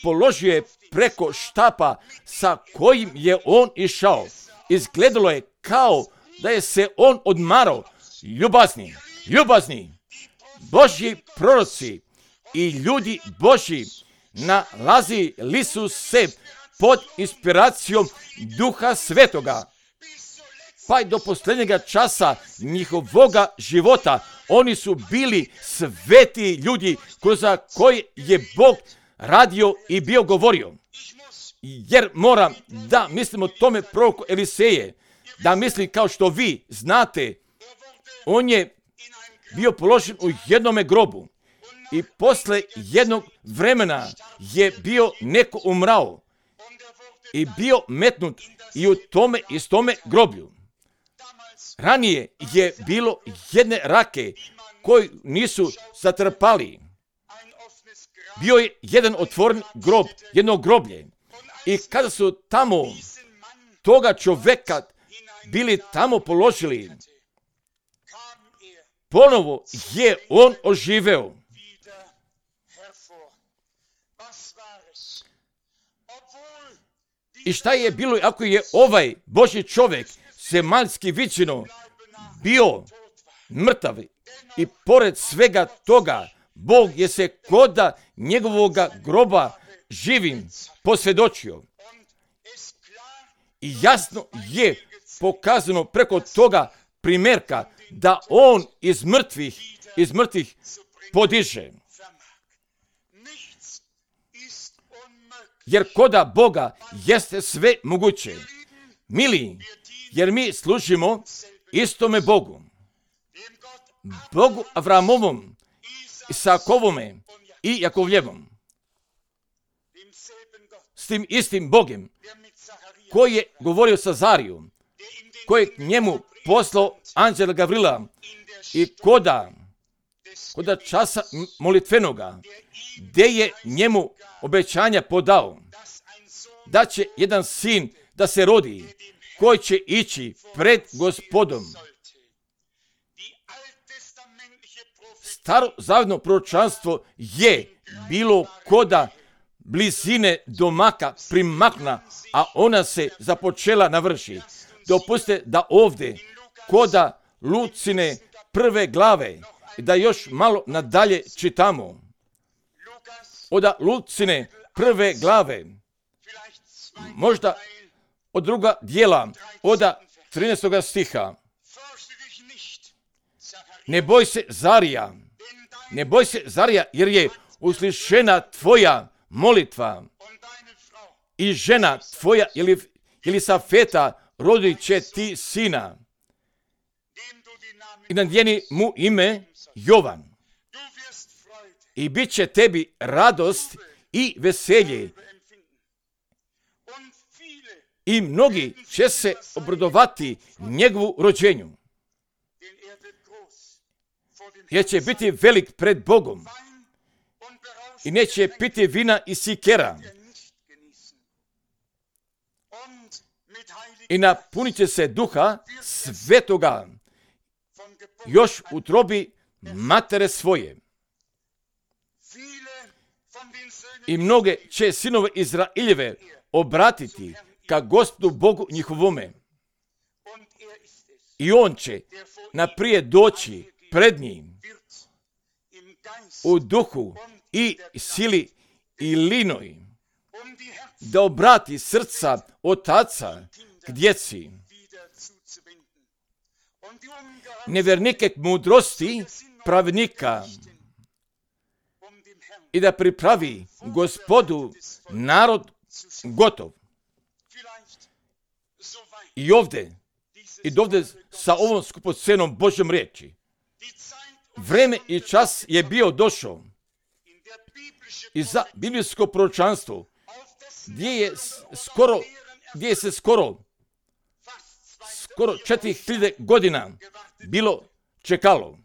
položio je preko štapa sa kojim je on išao. Izgledalo je kao da je se on odmarao. Ljubazni, Božji proroci i ljudi Božji nalazili su se pod inspiracijom Duha Svetoga. Pa i do posljednjega časa njihovoga života oni su bili sveti ljudi kroz koje je Bog radio i bio govorio. Jer moram da mislim o tome proroku Eliseje, da mislim kao što vi znate, on je bio položen u jednome grobu i posle jednog vremena je bio neko umrao i bio metnut i u tome groblju. Ranije je bilo jedne rake koji nisu zatrpali. Bio je jedan otvoren grob, jedno groblje. I kada su tamo toga čovjeka bili tamo položili, ponovo je on oživeo. I šta je bilo ako je ovaj Božji čovjek, zemaljski viđeno, bio mrtav i pored svega toga, Bog je se koda njegovoga groba živim posvjedočio. I jasno je pokazano preko toga primjerka da on iz mrtvih podiže. Jer koda Boga jeste sve moguće. Mili, jer mi služimo istome Bogu. Bogu Avramovom, Isakovome i Jakovljevom. S tim istim Bogom koji je govorio sa Zariju, koji je njemu poslao anđela Gavrila i koda časa molitvenoga, gdje je njemu obećanja podao da će jedan sin da se rodi, koji će ići pred Gospodom. Starozavjetno proročanstvo je bilo koda blizine domaka primakna, a ona se započela navrši. Dopustite da ovdje koda Lucine 1. glave, da još malo nadalje čitamo. Od Lucine 1. glave, možda od druga dijela, od 13. stiha. Ne boj se, Zarija, ne boj se, Zarija, jer je uslišena tvoja molitva i žena tvoja Elisafeta rodit će ti sina i nadijeni mu ime Jovan. I bit će tebi radost i veselje. I mnogi će se obradovati njegovu rođenju. Jer će biti velik pred Bogom. I neće piti vina i sikera. I napunit će se duha svetoga još u utrobi matere svoje. I mnoge će sinove Izraeljeve obratiti ka Gospodu Bogu njihovome. I on će naprije doći pred njim u duhu i sili i linoj, da obrati srca otaca k djeci, nevjernike k mudrosti pravednika, i da pripravi Gospodu narod gotov. I ovdje sa ovom skupocenom Božjom riječi, vreme i čas je bio došao i za biblijsko proročanstvo, gdje se skoro 4000 godina bilo čekalo.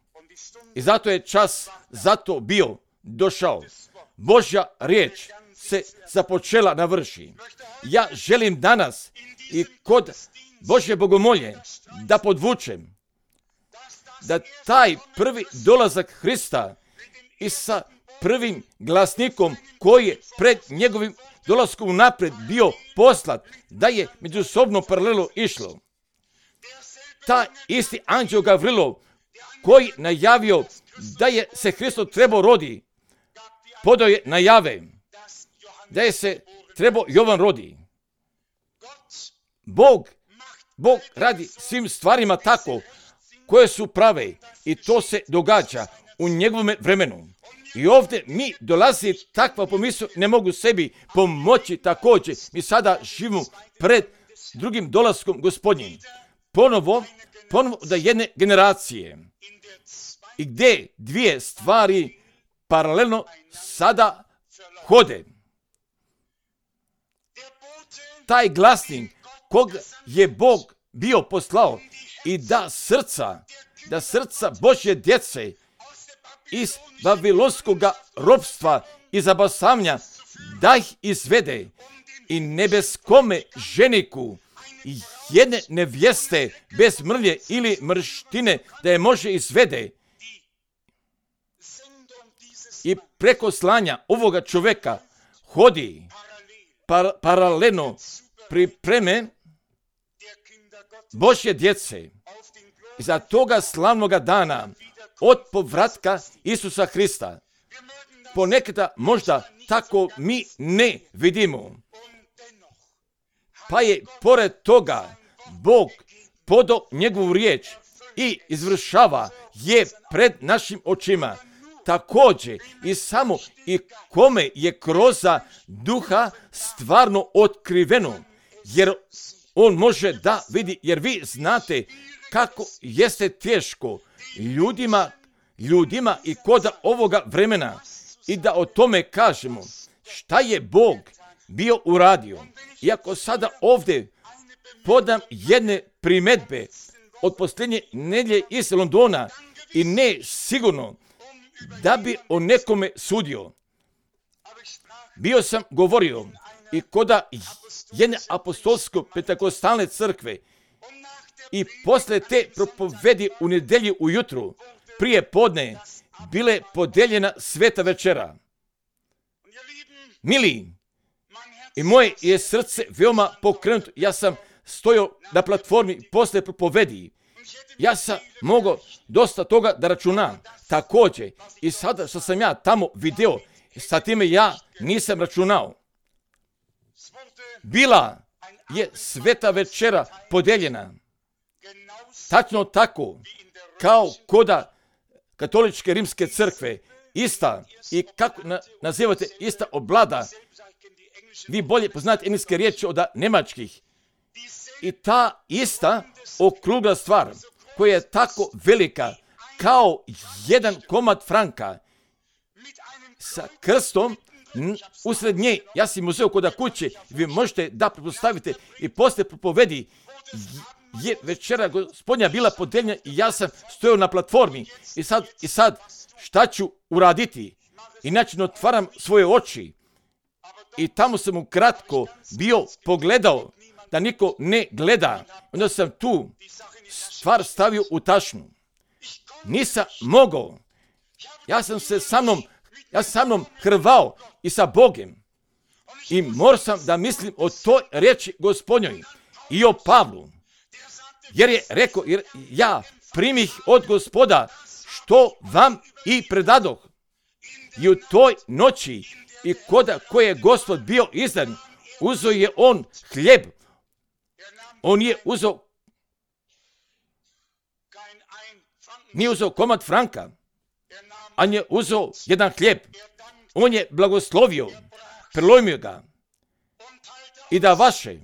I zato je čas zato bio došao. Božja riječ se započela navrši. Ja želim danas i kod Božje bogomolje da podvučem da taj prvi dolazak Hrista i sa prvim glasnikom koji je pred njegovim dolaskom napred bio poslat, da je međusobno paralelno išlo. Taj isti anđeo Gavrilov koji najavio da je se Hristo trebao rodi, podao je najave da je se trebao Jovan rodi. Bog radi svim stvarima tako koje su prave i to se događa u njegovom vremenu. I ovdje mi dolazi takva pomisao, ne mogu sebi pomoći također. Mi sada živimo pred drugim dolaskom Gospodnjim. Ponovo da jedne generacije i gdje dvije stvari paralelno sada hode. Taj glasnik kog je Bog bio poslao i da srca Božje djece iz babilonskog ropstva i zabasavanja da ih izvede i nebeskome ženiku jedne nevjeste bez mrlje ili mrštine da je može izvede i preko slanja ovoga čovjeka hodi paralelno pripreme Božje djece i za toga slavnoga dana od povratka Isusa Hrista. Ponekada možda tako mi ne vidimo. Pa je pored toga Bog podao njegovu riječ i izvršava je pred našim očima. Također i samo i kome je kroz duha stvarno otkriveno, jer on može da vidi, jer vi znate kako jeste teško ljudima i kod ovoga vremena i da o tome kažemo šta je Bog bio uradio. Iako sada ovdje podam jedne primjedbe od posljednje nedjelje iz Londona i ne sigurno da bi o nekome sudio. Bio sam govorio i koda jedne apostolsko-pentekostalne crkve i posle te propovedi u nedelji ujutru, prije podne, bile podeljena sveta večera. Mili, i moje je srce veoma pokrenuto. Ja sam stojao na platformi posle propovedi. Ja sam mogao dosta toga da računam. Također, i sada što sam ja tamo video, sa time ja nisam računao. Bila je sveta večera podeljena. Tačno tako, kao koda katoličke rimske crkve, ista, i kako nazivate ista oblada, vi bolje poznate engleske riječi od njemačkih. I ta ista okrugla stvar, koja je tako velika, kao jedan komad franka, sa krstom usred nje, ja sam uzeo kod kuće, vi možete da pretpostavite i posle propovedi, je večera Gospodnja bila podeljena i ja sam stojao na platformi. I sad šta ću uraditi? Inače otvaram svoje oči i tamo sam ukratko bio pogledao da niko ne gleda. Onda sam tu stvar stavio u tašnu. Nisam mogao. Ja sam sa mnom hrvao i sa Bogem. I morao sam da mislim o toj riječi Gospodnjoj i o Pavlu. Jer je rekao, jer ja primih od Gospoda što vam i predadoh. I u toj noći i koda koje je Gospod bio izdan, uzeo je on hljeb. On je uzeo, nije uzeo komad franka, a je uzeo jedan hljeb. On je blagoslovio, prelomio ga i da vaše.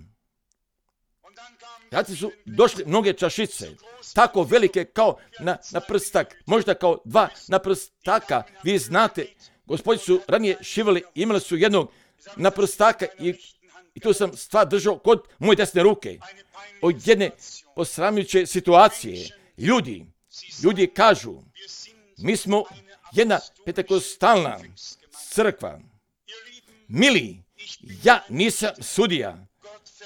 Zatim su došli mnoge čašice, tako velike kao na prstak, možda kao 2 na prstaka. Vi znate, gospodi su ranije šivali, imali su jednog na prstaka i tu sam stvar držao kod moje desne ruke. Od jedne posramljujuće situacije. Ljudi kažu, mi smo jedna pentekostalna crkva. Mili, ja nisam sudija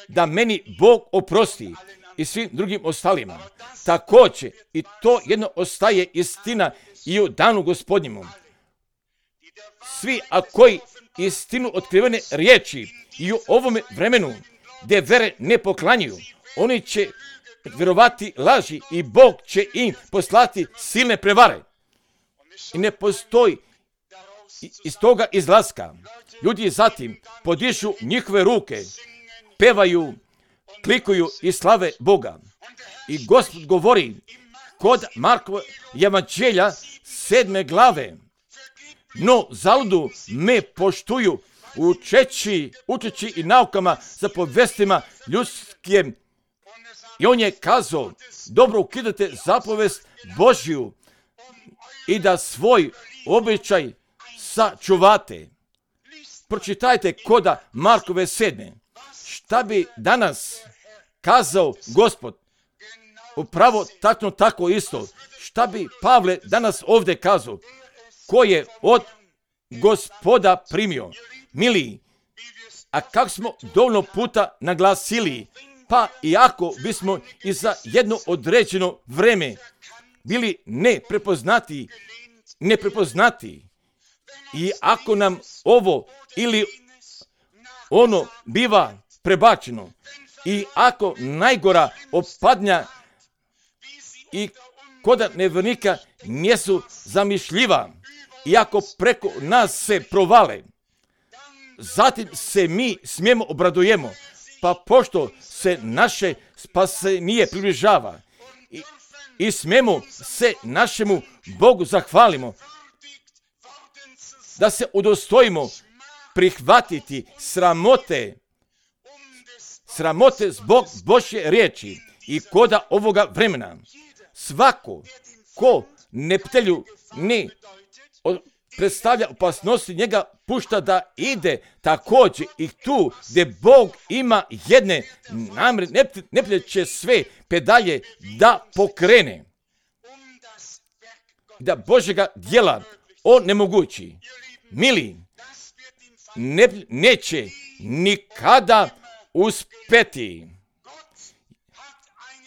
da meni Bog oprosti i svim drugim ostalima. Također, i to jedno ostaje istina i u danu Gospodnjemu. Svi, a koji istinu otkrivene riječi i u ovome vremenu gdje vere ne poklanjuju, oni će vjerovati laži i Bog će im poslati silne prevare. I ne postoji iz toga izlaska. Ljudi zatim podižu njihove ruke, pevaju, klikuju i slave Boga. I Gospod govori kod Markova evanđelja 7. glave. No zaludu me poštuju učeći i naukama za povestima ljudskim. I on je kazao, dobro ukidate zapovest Božju i da svoj običaj sačuvate. Pročitajte koda Markove 7. Šta bi danas kazao Gospod? Upravo tačno tako isto. Šta bi Pavle danas ovdje kazao? Ko je od Gospoda primio? Mili, a kako smo dovoljno puta naglasili, pa i ako bismo i za jedno određeno vreme bili neprepoznati i ako nam ovo ili ono biva prebačeno i ako najgora opadnja i koda nevjernika nisu zamišljiva i ako preko nas se provale, zatim se mi smijemo obradujemo, pa pošto se naše spasenje približava i smijemo se našemu Bogu zahvalimo, da se udostojimo prihvatiti sramote zbog Božje riječi i koda ovoga vremena. Svako ko neptelju ne predstavlja opasnosti, njega pušta da ide također i tu gdje Bog ima jedne namjere, neptelj će sve pedalje da pokrene, da Božjega djela on nemogući. Mili, neće nikada uspeti.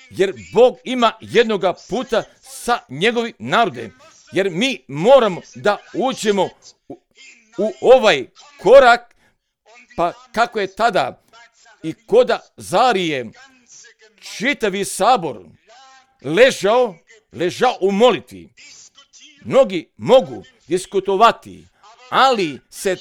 Jer Bog ima jednoga puta sa njegovim narodem. Jer mi moramo da uđemo u ovaj korak, pa kako je tada i koda Zarije čitavi sabor ležao u molitvi. Mnogi mogu diskutovati, ali se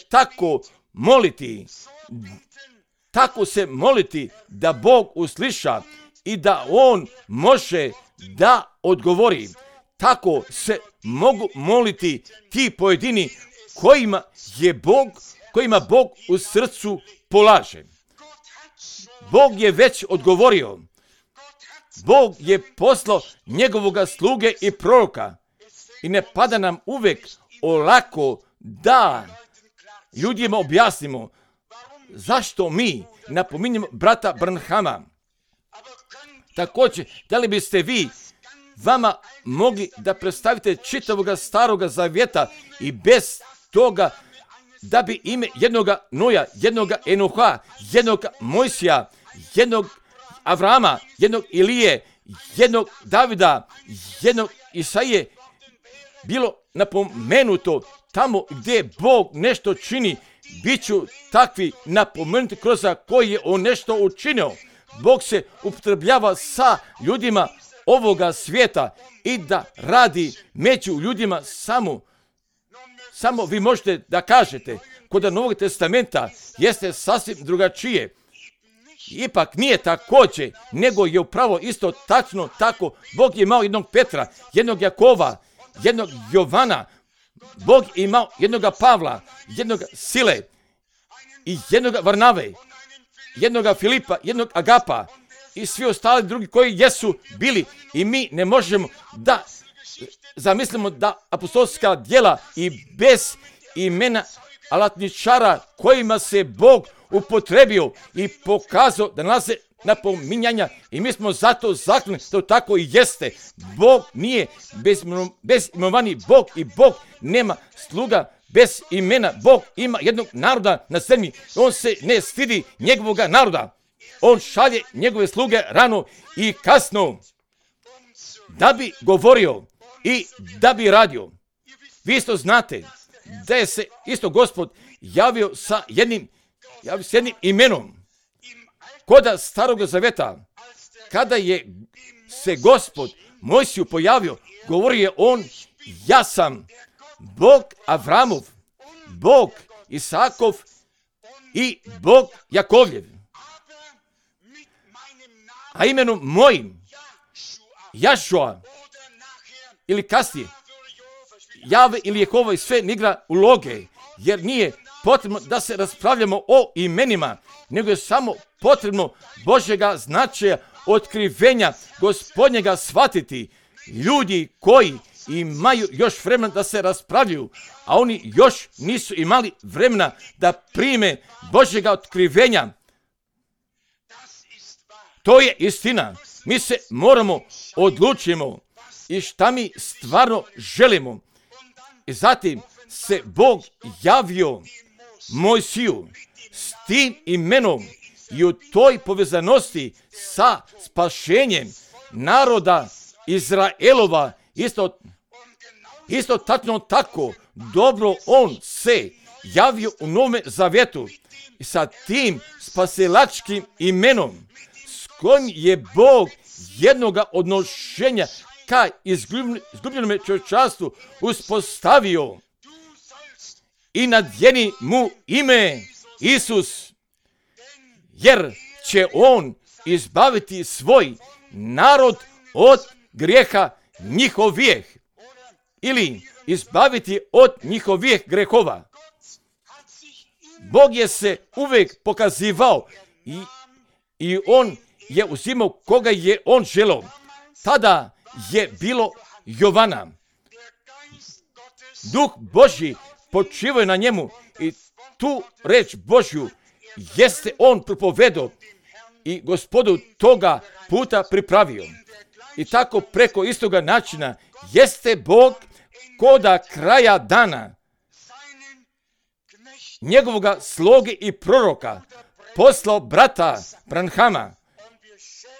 tako se moliti da Bog usliša i da On može da odgovori. Tako se mogu moliti ti pojedini kojima Bog u srcu polaže. Bog je već odgovorio. Bog je poslao njegovoga sluge i proroka. I ne pada nam uvek olako da ljudima objasnimo zašto mi napominjemo brata Branhama. Također, da li biste vi vama mogli da predstavite čitavoga staroga zavjeta i bez toga da bi ime jednoga Noja, jednoga Enoha, jednoga Mojsija, jednog Avrama, jednog Ilije, jednog Davida, jednog Isaije bilo napomenuto tamo gdje Bog nešto čini, bit ću takvi napomenuti kroz koji je On nešto učinio. Bog se upotrebljava sa ljudima ovoga svijeta i da radi među ljudima samo vi možete da kažete kod Novog testamenta jeste sasvim drugačije. Ipak nije također, nego je upravo isto tačno tako. Bog je imao jednog Petra, jednog Jakova, jednog Jovana. Bog je imao jednoga Pavla, jednoga Sile i jednoga Varnave, jednoga Filipa, jednog Agapa i svi ostali drugi koji jesu bili. I mi ne možemo da zamislimo da apostolska djela i bez imena alatničara kojima se Bog upotrebio i pokazao da nalaze napominjanja i mi smo zato zaključeni da to tako i jeste. Bog nije bezimenovani Bog i Bog nema sluga bez imena. Bog ima jednog naroda na zemlji. On se ne stidi njegovoga naroda. On šalje njegove sluge rano i kasno da bi govorio i da bi radio. Vi isto znate da je se isto Gospod javio sa jednim imenom. Koda Starog zaveta, kada je se Gospod Mojsiju pojavio, govorio je on, ja sam Bog Avramov, Bog Isakov i Bog Jakovljev. A imenom mojim, Jašua, ili kasnije, Jave ili Jehova i sve ne igra uloge, jer nije potrebno da se raspravljamo o imenima, nego je samo potrebno Božjega značaja, otkrivenja Gospodnjega shvatiti. Ljudi koji imaju još vremena da se raspravljaju, a oni još nisu imali vremena da prime Božjega otkrivenja. To je istina. Mi se moramo odlučimo i šta mi stvarno želimo. I zatim se Bog javio Mojsiju s tim imenom i u toj povezanosti sa spašenjem naroda Izraelova isto tačno tako dobro on se javio u Novome Zavjetu i sa tim spasilačkim imenom s kojim je Bog jednoga odnošenja ka izgubljenome čovječanstvu uspostavio i nadjeni mu ime Isus, jer će on izbaviti svoj narod od grijeha njihovih ili izbaviti od njihovih grehova. Bog je se uvijek pokazivao i on je uzimao koga je on želeo. Tada je bilo Jovana. Duh Božji počivao je na njemu i tu reč Božju jeste on propovedao i Gospodu toga puta pripravio. I tako preko istoga načina jeste Bog koda kraja dana njegovoga sloge i proroka, poslao brata Branhama.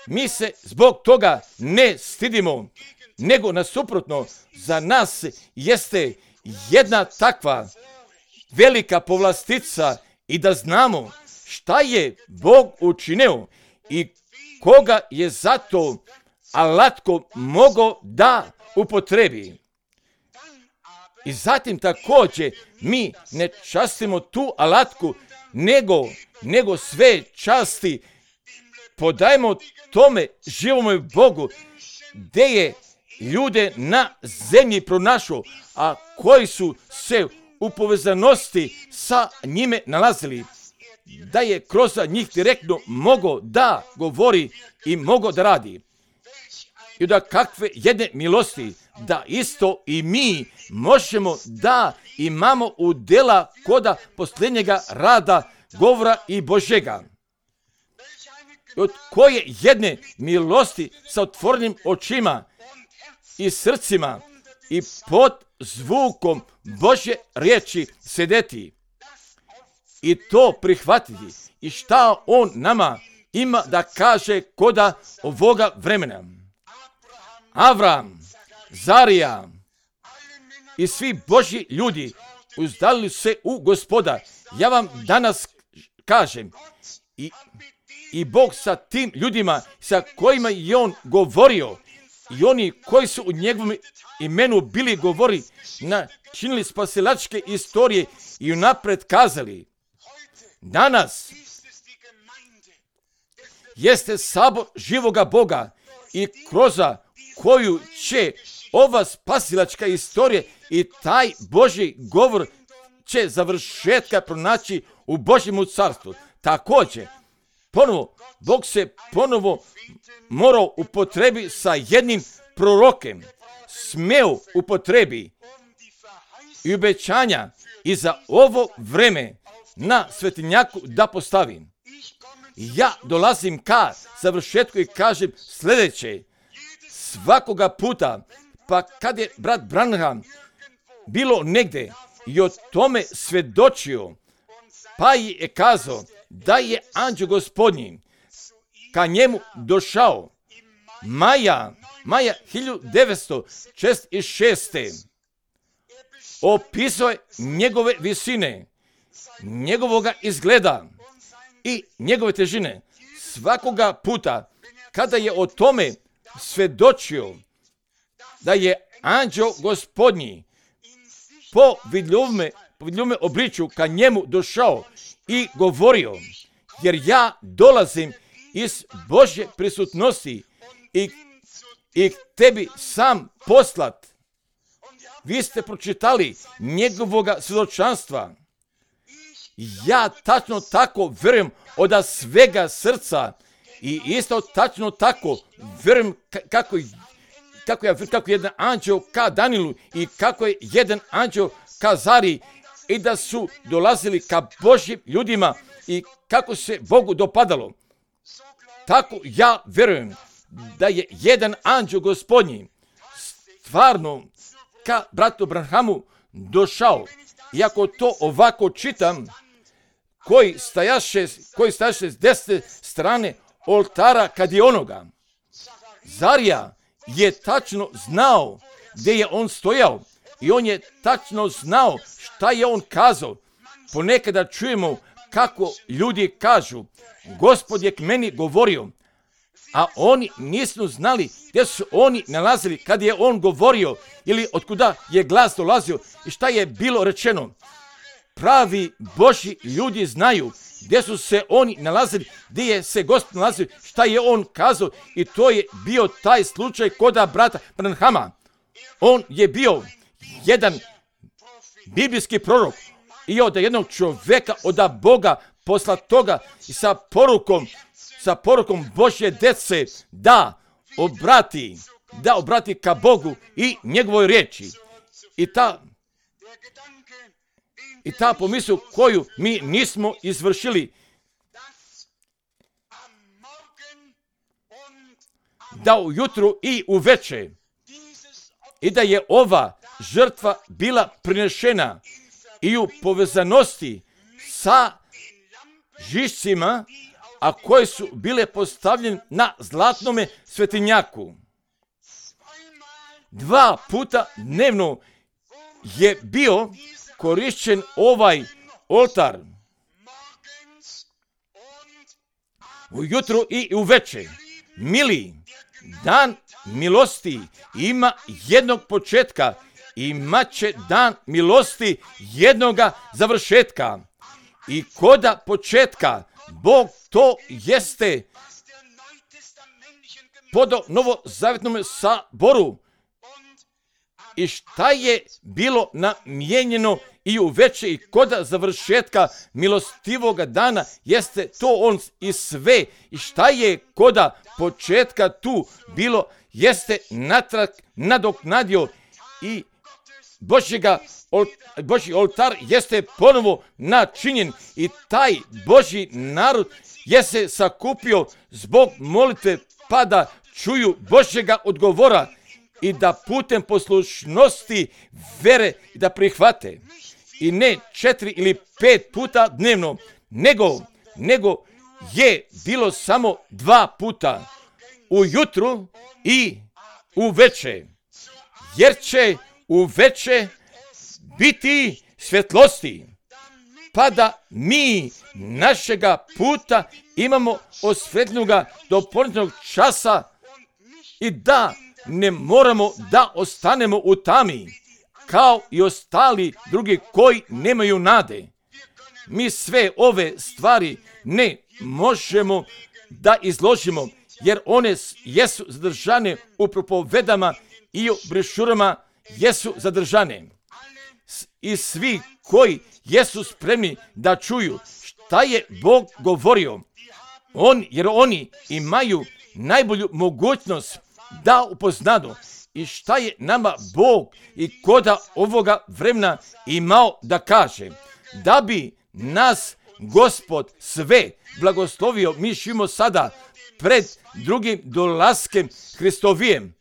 Mi se zbog toga ne stidimo, nego nasuprotno, za nas jeste jedna takva velika povlastica i da znamo šta je Bog učinio i koga je zato alatko mogao da upotrebi. I zatim također mi ne častimo tu alatku, nego sve časti podajemo tome živome Bogu, gdje je ljude na zemlji pronašao, a koji su se u povezanosti sa njime nalazili, da je kroz njih direktno mogao da govori i mogao da radi. I da kakve jedne milosti, da isto i mi možemo da imamo udjela koda posljednjega rada govora i Božjega. Od koje jedne milosti sa otvorenim očima i srcima i pod zvukom Božje riječi sedeti i to prihvatiti i šta on nama ima da kaže koda ovoga vremena. Avram, Zarija i svi Božji ljudi uzdalili se u Gospoda. Ja vam danas kažem i Bog sa tim ljudima sa kojima je on govorio i oni koji su u njegovom imenu bili govori, načinili spasilačke istorije i unapred kazali. Danas jeste sabor živoga Boga i kroz koju će ova spasilačka istorija i taj Božji govor će završetka pronaći u Božjemu carstvu. Također, Bog se ponovo morao upotrebi sa jednim prorokem, smeo upotrebi i obećanja i za ovo vreme na svetinjaku da postavim. Ja dolazim ka završetku i kažem sljedeće. Svakoga puta, pa kad je brat Branham bilo negdje i o tome svjedočio, pa je kazao da je anđeo Gospodnji ka njemu došao maja 1906. Opisao je njegove visine, njegovoga izgleda i njegove težine. Svakoga puta kada je o tome svjedočio da je anđeo Gospodnji po vidljivome obličju ka njemu došao i govorio, jer ja dolazim iz Božje prisutnosti i tebi sam poslat. Vi ste pročitali njegovoga svjedočanstva. Ja tačno tako vjerujem od svega srca i isto tačno tako vjerujem kako jedan anđeo ka Danielu i kako je jedan anđeo ka Zari i da su dolazili ka Božjim ljudima i kako se Bogu dopadalo. Tako ja vjerujem da je jedan anđeo Gospodnji stvarno ka bratu Branhamu došao. Iako to ovako čitam, koji stajaše s desne strane oltara kad je onoga. Zarija je tačno znao gdje je on stojao i on je tačno znao šta je on kazao. Ponekada čujemo kako ljudi kažu, Gospod je k meni govorio, a oni nisu znali gdje su oni nalazili kad je on govorio ili otkuda je glas dolazio i šta je bilo rečeno. Pravi Božji ljudi znaju gdje su se oni nalazili, gdje je se Gospod nalazio, šta je on kazao i to je bio taj slučaj koda brata Branhama. On je bio jedan biblijski prorok i od jednog čovjeka od Boga poslatoga i sa porukom Božje djece da obrati ka Bogu i njegovoj riječi. I ta pomisao koju mi nismo izvršili, da ujutru i uveče, i da je ova žrtva bila prinešena i u povezanosti sa žišcima, a koje su bile postavljene na zlatnome svetinjaku. 2 puta dnevno je bio korišćen ovaj oltar. Ujutro i uveče. Mili, dan milosti ima jednog početka, imaće dan milosti jednoga završetka. I koda početka, Bog to jeste podao novozavjetnom saboru. I šta je bilo namijenjeno i uveče i koda završetka milostivoga dana, jeste to on i sve. I šta je koda početka tu bilo, jeste natrag nadoknadio i Božji oltar jeste ponovo načinjen i taj Božji narod je se sakupio zbog molitve pa da čuju Božjega odgovora i da putem poslušnosti vere da prihvate. I ne 4 ili 5 puta dnevno, nego je bilo samo 2 puta, ujutru i uveče. Jer će uveče biti svjetlosti, pa da mi našega puta imamo osvetljenoga do ponoćnog časa i da ne moramo da ostanemo u tami, kao i ostali drugi koji nemaju nade. Mi sve ove stvari ne možemo da izložimo, jer one jesu zadržane u propovedama i u brošurama jesu zadržane. I svi koji jesu spremni da čuju šta je Bog govorio, jer oni imaju najbolju mogućnost da upoznadu i šta je nama Bog i koda ovoga vremena imao da kaže. Da bi nas Gospod sve blagoslovio, mi živimo sada pred drugim dolaskem Hristovijem.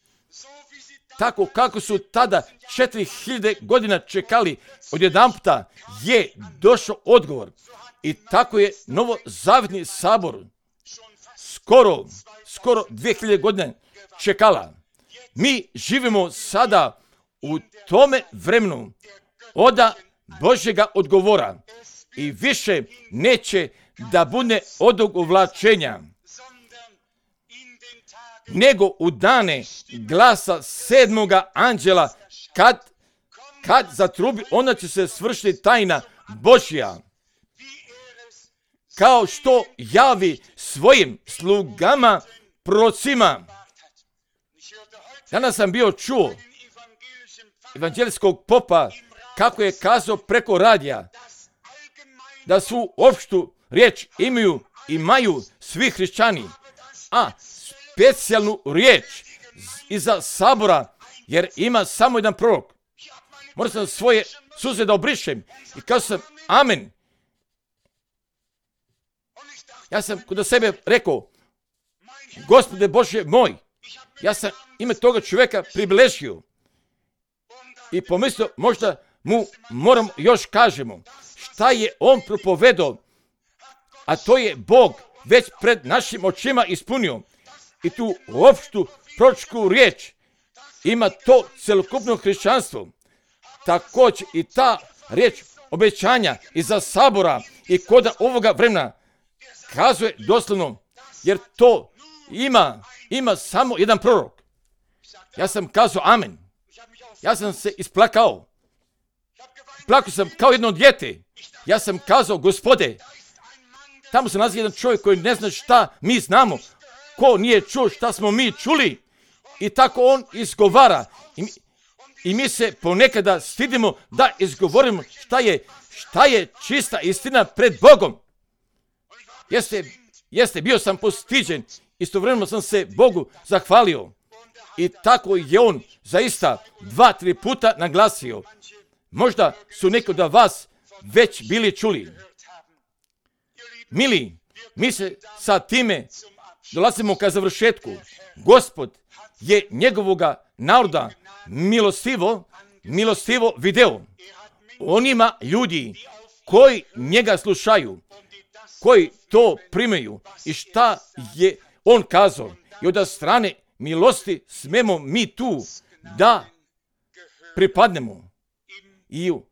Tako kako su tada 4000 godina čekali, odjedanputa je došao odgovor. I tako je novozavjetni sabor skoro 2000 godina čekala. Mi živimo sada u tome vremenu oda Božjega odgovora i više neće da bude odugovlačenja, nego u dane glasa 7. anđela kad zatrubi, onda će se svršiti tajna Božja, kao što javi svojim slugama prorocima. Danas sam bio čuo evanđelijskog popa kako je kazao preko radija da svu opštu riječ imaju svi hrišćani, a specijalnu riječ iza sabora, jer ima samo jedan prorok. Moram sam svoje suze da obrišem i kazao sam amen. Ja sam kod sebe rekao, Gospode Bože moj, ja sam ime toga čovjeka približio i pomislio možda mu moram još kažemo šta je on propovedao, a to je Bog već pred našim očima ispunio. I tu opštu proročku riječ ima to celokupno hrišćanstvo. Također i ta riječ obećanja iza sabora i koda ovoga vremena kazuje doslovno, jer to ima samo jedan prorok. Ja sam kazao amen. Ja sam se isplakao. Plakao sam kao jedno dijete. Ja sam kazao, Gospode, tamo se nalazi jedan čovjek koji ne zna šta mi znamo. Ko nije čuo šta smo mi čuli? I tako on izgovara. I mi se ponekada stidimo da izgovorimo šta je čista istina pred Bogom. Jeste, bio sam postiđen. Istovremeno sam se Bogu zahvalio. I tako je on zaista 2-3 puta naglasio. Možda su neki od vas već bili čuli. Mili, mi se sa time dolazimo ka završetku. Gospod je njegovoga naroda milostivo video. On ima ljudi koji njega slušaju, koji to primaju i šta je on kazao. I od strane milosti smemo mi tu da pripadnemo i u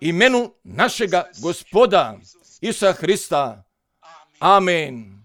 imenu našega Gospoda Isusa Hrista. Amen.